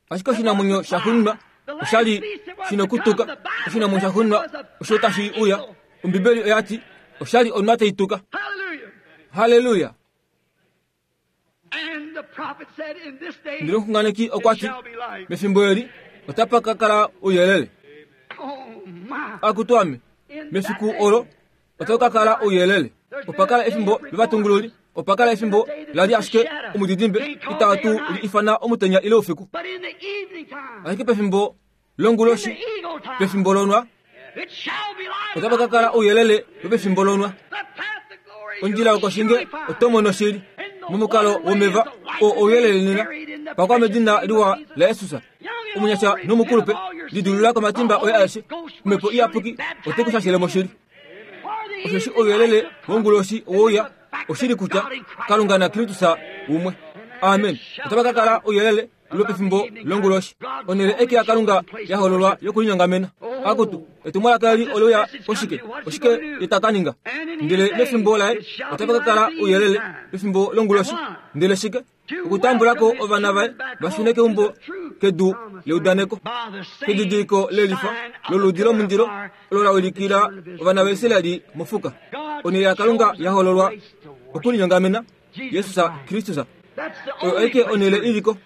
Ashike oshinamwenyo shaxuuninwa oshali shina okutuka. Oshinamwenyo shaxuuninwa osho tashi uya. Ombibeli oya ti oshali onwa tai tuka. Halleluya. Ndele omuxunganeki okwa ti mefimbo eli otapa ka kala ouyelele. Akutu ame, mefiku olo otau ka kala ouyelele. Opa kala efimbo lovatungululi, opa kala efimbo la li ashike omudidimbe itatu li ifana omutenya ile oufiku. Ashike pefimbo longuloshi, pefimbo lonwa, otapa ka kala ouyelele wopefimbo lonwa. Ondjila yokoshinge oto mono shili momukalo womeva oo ouyelele nena pakwa medina liwa laJesus. Omunyasha nomukulupe lidulula komatimba oye aeshe. Omhepo iyapuki ote ku shashele moshili. Osheshi ouyelele wonguloshi owouya oshili kutya Kalunga naKristus umwe. Amen. Otapa ka kala ouyelele lwopefimbo longuloshi. Onhele eke yaKalunga ya hololwa yokulinyongamena. Akutu, etumwalaka eli oleuya koshike? Oshike ye ta ka ninga? Ndele mefimbo laye otapa ka kala ouyelele pefimbo longuloshi. Ndele shike? Okutambula ko ovana vaye va shune keumbo kedu leudaneko kedidiliko lelifa loludi lomundilo olo la ulikila ovana vaIsraeli mofuka. Onhele yaKalunga yahololwa okulinyongamena Jesus Kristus. Oyo aike onhele iliko.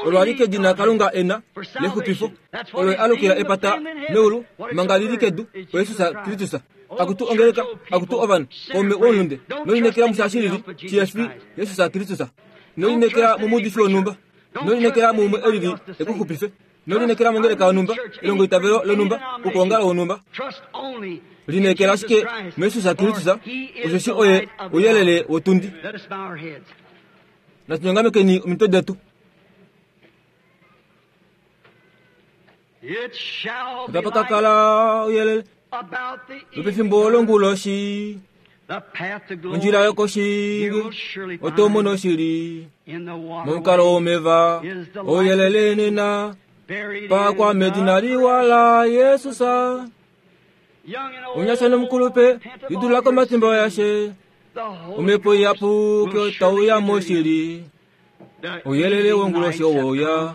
Olo alike edina Kalunga ena lexupifo. Olo alukila epata meulu manga lili kedu oJesus Kristus. Akutu ongeleka, akutu ovanhu, kaume womulunde, nolinekela mushashilili chiyefi Jesus Kristus. Nolinekela mumuudifi wonhumba, nolinekela muumwe elili ekuxupife, nolinekela mongeleka yonhumba, elongo itavelo lonhumba, okuongala wonhumba. Linekela ashike muJesus Kristus, osheshi oye ouyelele wotundi. Natunyongamekeni omitwe detu. Otapa ka kala ouyelele lopefimbo longuloshi, ondjila yokoshingi oto mono shili momukalo womeva ouyelele nena pakwa medina liwa la Yesus. Onyasha nomukulupe idula komatimba yashe omhepo iyapuki otauya moshili ouyelele wonguloshi owouya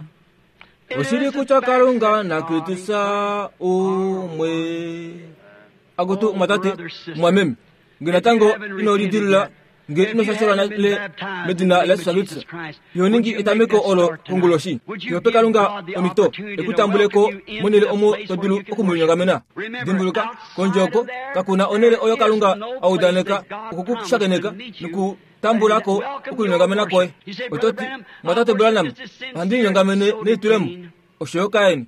oshili kutya Kalunga naKristus umwe. Akutu mwatate mwameme nge natango ino lidilula nge ino shashelwa nale medina la Yesus Kristus yoningi etameko olo konguloshi. Yope Kalunga omito ekutambuleko monele omo todulu okumulinyongamena. Dimbuluka kondjoko kakuna onele oyo Kalunga audaneka okukushakeneka nokutambulako okulinyongamena koye. Ototi mwatate Branham handinyongamene neitulemo oshoyo Kaini.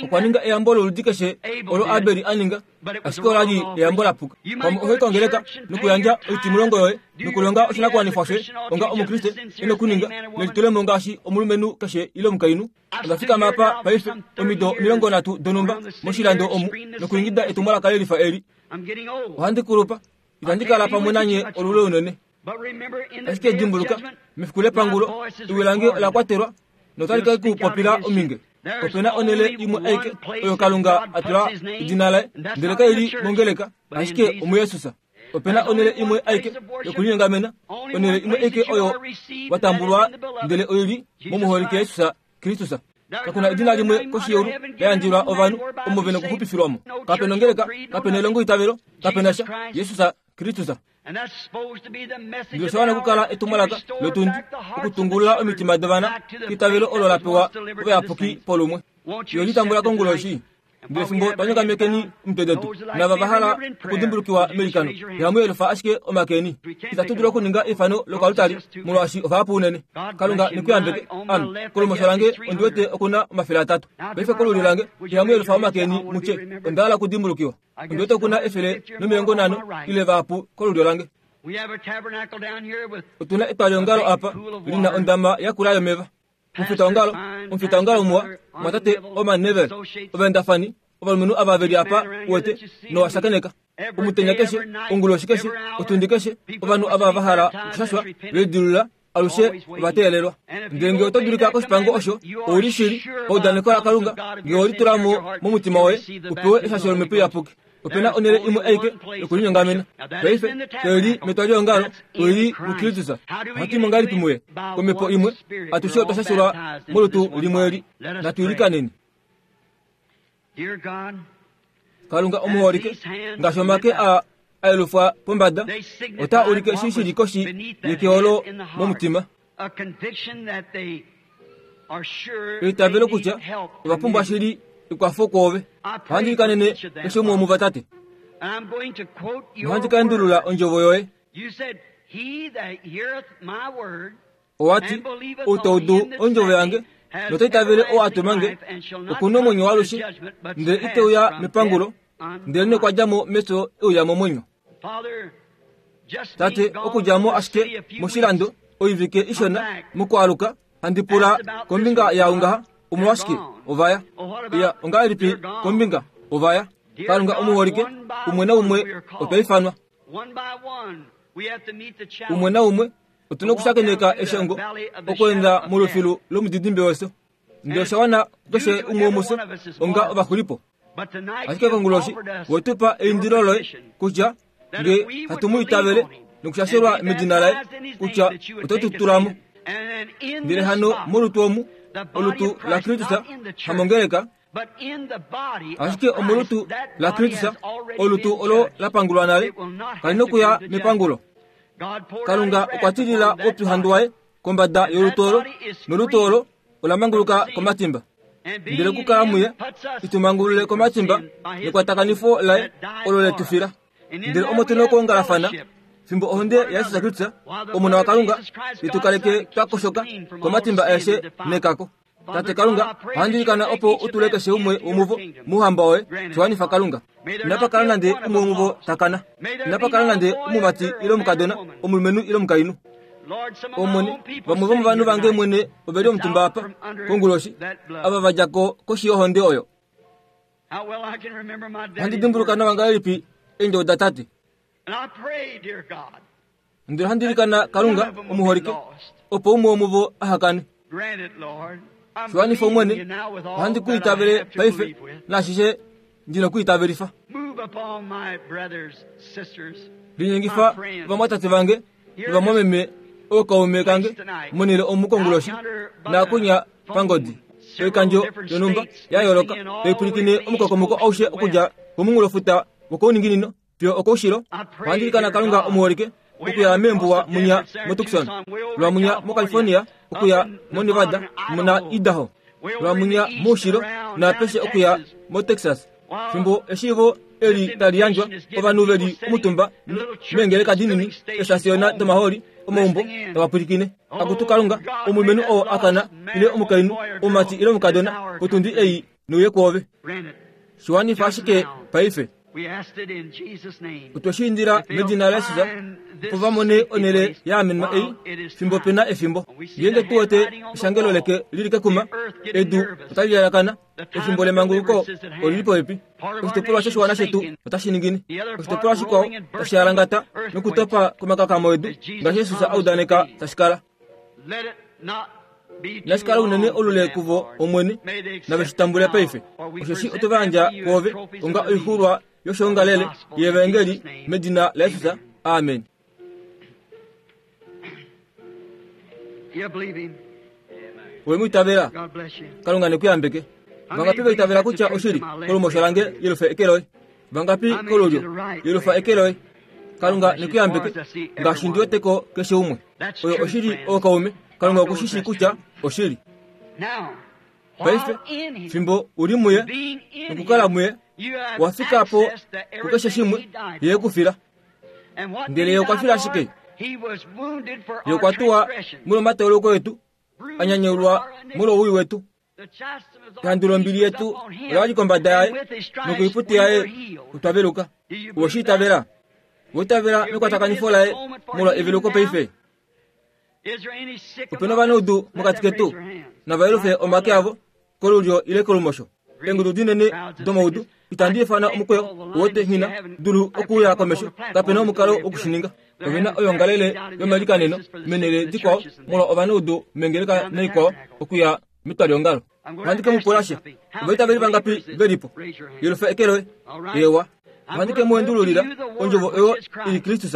Okwa ninga eyambo loludi keshe olo Abeli aninga, ashike ola li eyambo lapuka. Pamwe oho kongeleka nokuyandja oitimulongo yoye nokulonga oshinakuwanifwa shoye onga Omukriste enokuninga nelitulemo ngaashi omulumenhu keshe ile omukainhu. Onda fikama apa paife omido omilongo nhatu donhumba moshilando omu nokuingida etumwalaka lelifa eli. Ohandi kulupa, itandi kala pamwe nanye olule unene. Ashike dimbuluka, mefiku lepangulo ewi lange ola kwatelwa notali ka kupopila ominge. Opena onele imwe aike oyo Kalunga atula edina laye, ndele kaili mongeleka, ashike omuYesus. Opena onele imwe aike yokulinyongamena, onele imwe aike oyo watambulwa, ndele oili momuholike Jesus Kristus. Kakuna edina limwe koshi yeulu la yandjelwa ovanhu omo vena okuxupifilwamo. Kapena ongeleka, kapena elongo itavelo, kapena sha Jesus Kristus. Ndele osha wana okukala etumwalaka lotundi okutungulula omitima dovana keitavelo olo la pewa ovayapuki polumwe. Yo litambula konguloshi. Ndele fimbo twanyongamekeni omitwe detu nava va hala okudimbulukiwa meilikano, ihamu ashike omakeni. Itatu dulu okuninga eifano lokalutali molwaashi ovahapu unene. Kalunga nekuyambeke. Ame kolumosho lange ondi wete okuna omafele atatu. Paife kolulyo lange ihamu yelufa omakeni mutye onda hala okudimbulukiwa. Ondi wete okuna efele nomilongo nhano ile vahapu kolulyo lange. Otuna etwaliongalo apa lina ondama yakula yomeva. Omufitaongalo, omufitaongalo muwa, mwatate Oman Nevel, ovaendafani, ovalumenhu ava veli apa uwete nowashakeneka. Omutenya keshe, onguloshi keshe, otundi keshe, ovanhu ava va hala okushashwa velidilula alushe ovateelelwa. Ndele ngee oto dulika koshipango osho, ouli shili paudaneko laKalunga, ngee owelitulamo momutima woye, upewe eshasho lomhepo iyapuki. Opena onele imwe aike yokulinyongamena. Paife kaili metwaliongalo, oili muKristus. Ohatu imo ngahelipi muye? Komhepo imwe, atushe otwa shashelwa molutu limwe eli. Natu ilikaneni. Kalunga omuholike, ngaashi omake a ayelufwa pombada, otaa ulike eshi shili koshi yekeolo momutima. Eitavelo kutya ova pumbwa shili ekwafo kwoove. Ohandi ilikanene keshe umwe womuvatate. Ohandi ka endulula ondjovo yoye. Owati, ou ta udu ondjovo yange nota itavele oo a tuma nge, okuna omwenyo waalushe, ndele ite uya mepangulo, ndele nokwa dja mo mefyo e uya momwenyo. Tate, okudja mo ashike moshilando oivike ishona mokwaaluka, handi pula kombinga yaau ngaha, omolwashike ovaya? Iya, ongahelipi kombinga ovaya? Kalunga omuholike, umwe naumwe otwa ifanwa. Umwe naumwe otuna okushakeneka eshongo okweenda molufilu lomudidimbe wefyo. Ndele osha wana kukeshe umwe womufye onga ovaxulipo. Ashike konguloshi wetupa eindilo loye kutya nge hatu mu itavele nokushashelwa medina laye kutya oto tu tulamo. Ndele hano molutu omu, olutu la Kristus, hamongeleka, ashike omolutu la Kristus, olutu olo la pangulwa nale, kali nokuya mepangulo. Kalunga okwa tilila oupyuhandu waye kombada yolutu olo, nolutu olo ola manguluka komatimba. Ndele kukala muye, itumangulule komatimba nekwatakanifo laye olo letufila. Ndele omo tuna okuongalafana fimbo ohonde yaJesus Kristus, omona waKalunga, itukaleke twakoshoka komatimba aeshe nekako. Tate Kalunga, ohandi ilikana opo utule keshe umwe womuvo mouhamba woye, shiwanifa Kalunga. Inapa kala nande umwe womuvo takana. Inapa kala nande omumati ile omukadona, omulumenhu ile omukainhu. Omwene, vamwe vomovanhu vange mwene oveli omutumba apa konguloshi, ava va dja ko koshi yohonde oyo. Ohandi dimbuluka nawa ngahelipi eendjovo datate. Ndele ohandi ilikana Kalunga omuholike, opo umwe womuvo aha kane. Shiwanifa Omwene, ohandi ku itavele paife naashishe ndina ku itavelifa. Linyengifa ovamwatate vange novamwameme ookaume kange monele omu konguloshi naakunya pangodi oikandjo yonhumba ya yooloka taipwilikine omukokomoko aushe okudja komunghulofuta wokouninginino fiyo okoushilo. Ohandi ilikana Kalunga omuholike okuya meembuwa munya moTucson, lwamunya moCalifornia, okuya moNevada muna Idaho, lwamunya moushilo naapeshe okuya moTexas. Fimbo eshiivo eli tali yandjwa ovanhu veli omutumba meengeleka dinini, eesasiona domahooli, omaumbo tava pwilikine. Akutu Kalunga, omulumenhu oo a kana ile omukainhu, omumati ile omukadona, potundi ei nouye kwoove. Shiwanifa ashike paife. Otwe shi indila medina laJesus, opo va mone onhele ya amenwa ei fimbo pe na efimbo. Ngeenge tu wete eshangelo leke lili kekuma, edu otali lalakana, efimbo lemanguluko olili popepi. Oshitopolwa shoshiwana shetu otashi ningine, oshitopolwa shikwao tashi alangata nokutopa komakakamo edu, ngaashi Jesus a udaneka tashi kala. Inashi kala unene olule kuvo Omwene, nave shi tambule paife. Osheshi oto va yandja kwoove onga oixuulwa yoshoongalele yeevangeli medina laJesus. Amen. Owe mu itavela? Kalunga ne ku yambeke. Vangapi va itavela kutya oshili kolumosho lange yelufa eke loye? Vangapi kolulyo yelufa eke loye? Kalunga ne ku yambeke ngaashi ndi weteko keshe umwe. Oyo oshili ookaume. Kalunga oku shi kutya oshili. Paife fimbo uli muye nokukala muye, wafika po kukeshe shimwe ye kufila. Ndele ye okwa fila ashike. Ye okwa tuwa molwomatoloko etu, anyanyeulwa molwowii wetu. Ehandu lombili yetu ola li kombada yaye, nokoiputi yaye otwa veluka. Owe shi itavela? Owe itavela mekwatakanifo laye molwa eveluko paife? Ope na ovanaudu mokati ketu, nava yelufe omake avo kolulyo ile kolumosho. Eengudu dinene domaudu itandi ifana omukweyo wote nghina dulu okuuya komesho, kape na omukalo wokushininga. Ove na oyoongalele yomalikaneno menele dikwao molwa ovanaudu mengeleka naikwao okuya metwaliongalo. Ohandi ke mu pula sha, ovaitaveli vangapi velipo? Yelufa eke loye. Ewa. Ohandi ke mu endululila ondjovo oyo ili Kristus.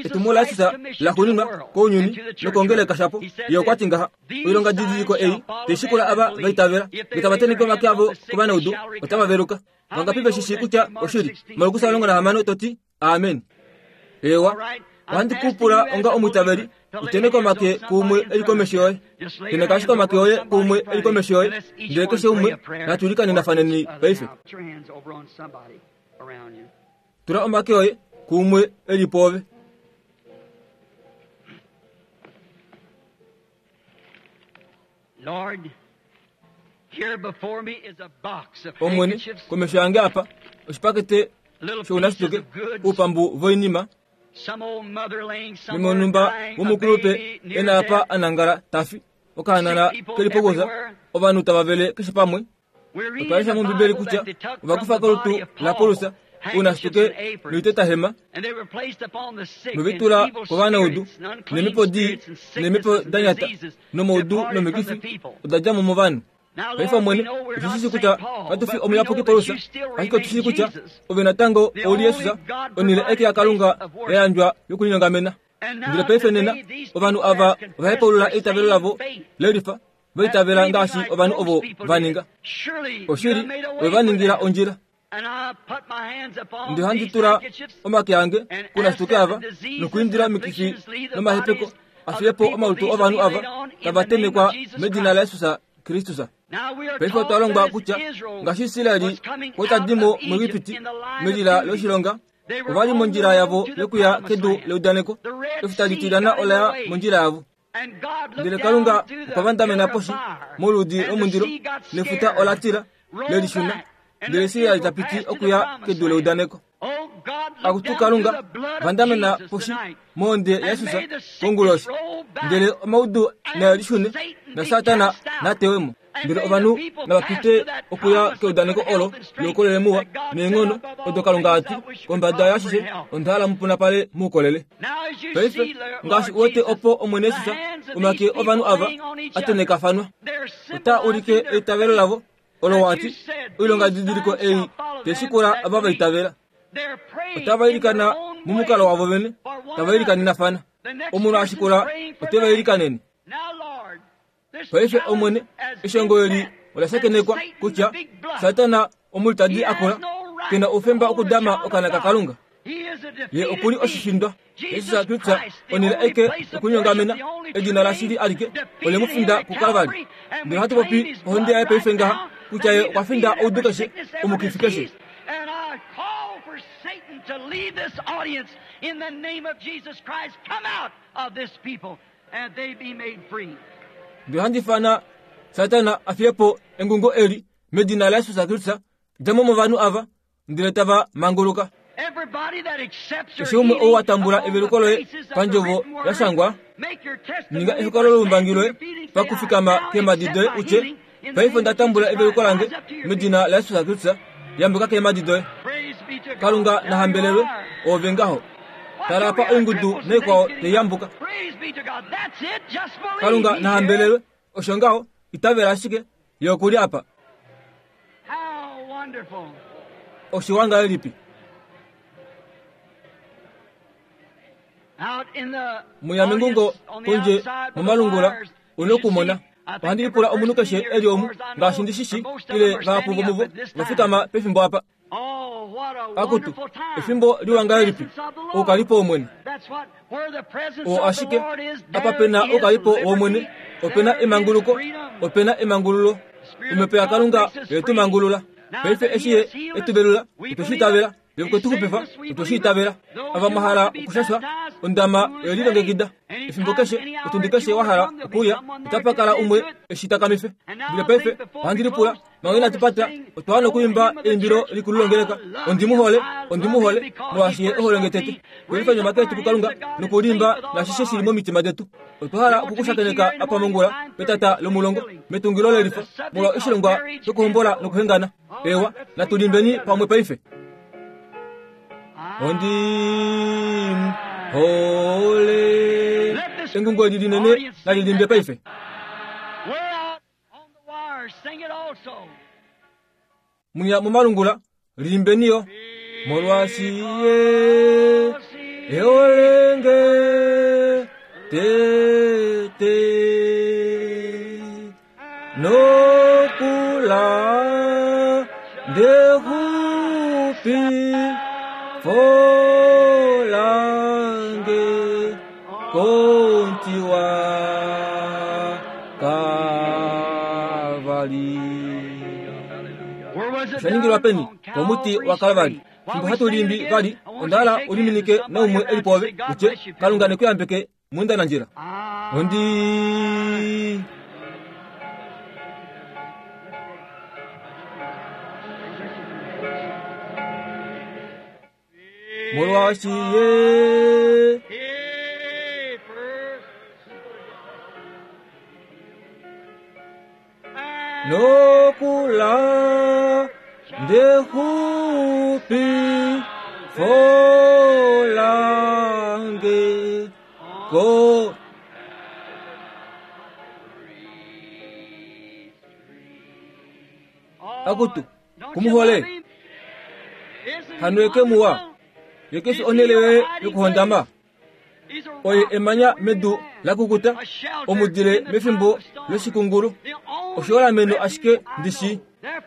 Etumo laJesus la xuuninwa kounyuni nokongeleka shapo. Ye okwa ti ngaha, oilonga didiliko ei tai shikula ava va itavela, nge tava tenheke omake avo kovanaudu, otava veluka. Vangapi ve shi shii kutya oshili? Markus omulongo nahamano to ti amen. Ewa. Ohandi ku pula onga omwiitaveli, utenheke omake kuumwe eli komesho yoye. Tenheka ashike omake oye kuumwe eli komesho yoye, ndele keshe umwe natu ilikaninafaneni paife. Tula omake oye kuumwe eli pwoove. Omwene, komesho yange apa, oshipakete shounashituke, oupambu voinima, memonumba womukulupe ena apa anangala tafi, okahanana keli pokusa, ovanhu tava vele keshe pamwe. Otwa lesha mOmbibeli kutya ovakufa kolutu laPaulus ounashituke noitetahema, novitula kovanaudu, neemhepo dii neemhepo da nyata, nomaudu nomikifi oda dja mo movanhu. Paife Omwene, otu shi shii kutya katu fi omuyapuki Paulus, ashike otu shii kutya ove natango ouli Jesus, onhele aike yaKalunga ya yandjwa yokulinyongamena. Ndele paife nena ovanhu ava ovahepaulula eitavelo lavo lelifa vaitavela ngaashi ovanhu ovo vaninga. Oshili ove vaningila ondjila. Ndi handi tula omake ange kunashituke ava nokuindila omikifi nomahepeko afiyepo omalutu ovanhu ava tava temekwa medina laJesus Kristus. Paife otwa longwa kutya ngaashi Israeli kwatadimo muEgipiti melila loshilonga ovali mondjila yavo yokuya kedu leudaneko. Efuta litilyana olaya mondjila yavo. Ndele Kalunga okwa vandamena poshi moludi lomundilo nefuta ola tila lelishuna. Ndele Israeli tapiti okuya kedu leudaneko. Akutu Kalunga vandamena poshi monde yaJesus konguloshi. Ndele omaudu nalishune na Satana natewemo. Ndele ovanhu navapite okuya keudaneko olo loukolele muwa neenghono odo Kalunga ati kombada yashishe onda mupuna pale muukolele. Paife ngaashi uwete opo Omwene Jesus omake ovanhu ava atenekafanwa ota ulike eitavelo lavo olo wati oilonga didiliko ei teshikula ava vaitavela. Otava ilikana mumukalo wavo vene tava ilikanenafana. Omunhu ashikula oteva ilikanene. Paife Omwene eshongo eli ola shakenekwa kutya Satana omulitadi akola kena oufemba okudama okana kaKalunga. Ye okuli oshishindwa. Jesus Kristus onele eke okunyongamena edina lashili alike ole mufinda kuKalvari. Ndele hatu popi ohonde yaye paife ngaha kutya ye okwa finda oudu keshe omukifi keshe. And I call for Satan to leave this audience in the name of Jesus Christ. Come out of this people and they be made free. Ndele handi fana Satana afiyepo engungo eli medina laJesus Kristus djamo movanhu ava ndele tava manguluka. Everybody that accepts your Keshe umwe ou healing atambula upon eveluko the loye basis of the pandjovo written word, yashangwa, make your testimony ninga by ehokololo lolumbangi standing loye your feet and say, pakufikama I now keemhadi accept doye my utye, healing in the paife name of onda tambula Jesus eveluko Christ. lange Rise up to your feet. medina laJesus Kristus yambuka keemhadi doye. Praise be to God. Kalunga There nahambelelwe you are. ove ngaho. Watch Tala over apa your oingudu cripples and naikwao things teiyambuka. getting up. Praise be to God. That's it. Just believe. Kalunga He's nahambelelwe here. osho ngaho itavela ashike ye okuli apa. How wonderful. Oshiwanga elipi? Out in the Muya mingungo audience on the pondje outside with the momalungula wires, you une should okumona. see. I think Ohandi every lipula omunhu person keshe here, eli as omu far as I know, ngaashi ndi shishi or most of ile them are vahapu standing up vomuvo at this time. vafikama pefimbo apa. Oh, what a Akutu wonderful time. efimbo The liwanga elipi? presence of the Lord. Oukalipo wOmwene. That's what, where the presence O of the ashike Lord is, apa there pena is oukalipo wOmwene liberty, opena there is emanguluko freedom. opena emangululo. Omhepo yaKalunga oye mangulula. Paife eshi ye etubelula otweshi itavela ye okwe tu xupifa otweshi itavela. Ava mwahala okushashwa ondama oyelilongekida. Efimbo keshe otundi keshe wahala okuuya otapa kala umwe eshi takamife. Ndele paife ohandi lipula manga inatu pata otwa wana okuimba eimbilo likulu longeleka ondimuhole ondimuhole molwaashi ye oholonge tete. Kulifa omake etu kuKalunga nokulimba nashishe shili momitima detu. Otwa hala okukushakeneka apa mongula petata lomulongo metungilo lelifa molwa oshilongwa shokuhombola nokuhengana. Ewa natulimbeni pamwe paife. Ondimuhole engungo eli linene nalilimbe paife. We're out on the wire. Sing it also. Munya momalungula limbeniyo molwaashi ye eolenge tete nokula ndexupi folange kontiwa Kalvari. Where was it Shaningilwa done? peni On komuti wa Calvary's Kalvari. tree. While Fimbo we hatu sing it limbi again, vali I want you onda to hala shake uliminike hands with naumwe somebody eli pove around you and say, God utye bless you, Kalunga pilgrim. nekuyambeke munda na njira. Ah. Ondi molwaashi ye He first. nokula ndexupi folange ko akutu kumuhole hanweke muwa yekesi onele yoye yokuhondama. Oye emanya medu lakukuta, omudile mefimbo loshikungulu, oshiholameno ashike ndishi.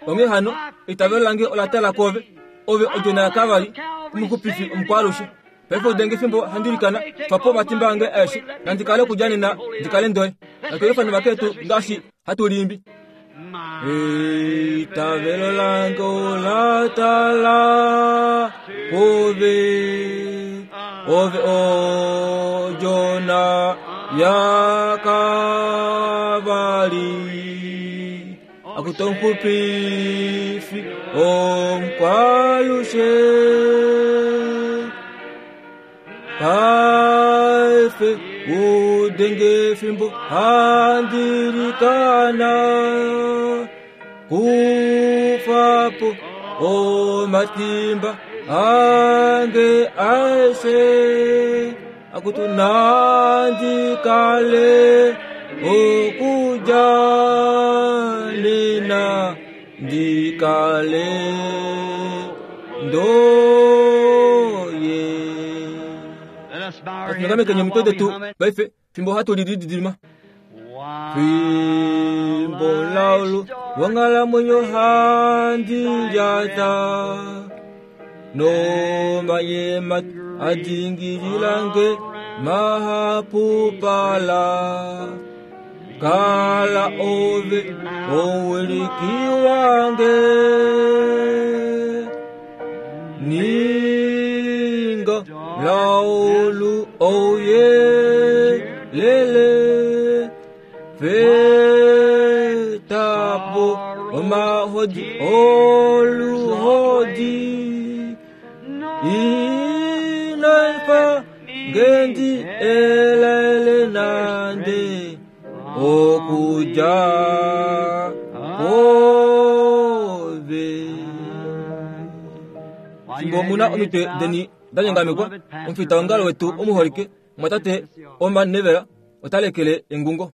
Onghee hano eitavelo lange ola tala kwoove, ove odjona yaKalvari, omuxupifi omukwalushe. Paife udenge fimbo handi ilikana, twapo omatimba ange aeshe, nandi kale okudja nena ndi kale ndoye. Natu vaketu ngaashi hatu liimbi. Eitavelo lange ola tala kwoove, ove odjona yaKalvari, akuto omuxupifi omukwalushe. Paife udenge fimbo handi ilikana, kufapo omatimba ange aeshe, akutu nandi kale okudja nena ndi kale ndoye. Let us bow our heads Atungameke now nyomitwe while we detu hum it. paife fimbo hatu lididima. Fimbo laulu wonghalamwenyo handi lyata, nomayema adingililange mahapupala. Kala ove owiliki wange, ninga laulu oye lele, fetapo omahodi oluhodi, inaifa ngendi elele nande okudja kwoove. While Fimbo you muna have your omitwe heads bowed, deni danyangamekwa, our beloved pastor, omufita wongalo wetu omuholike mwatate Oman Nevela ota lekele engungo.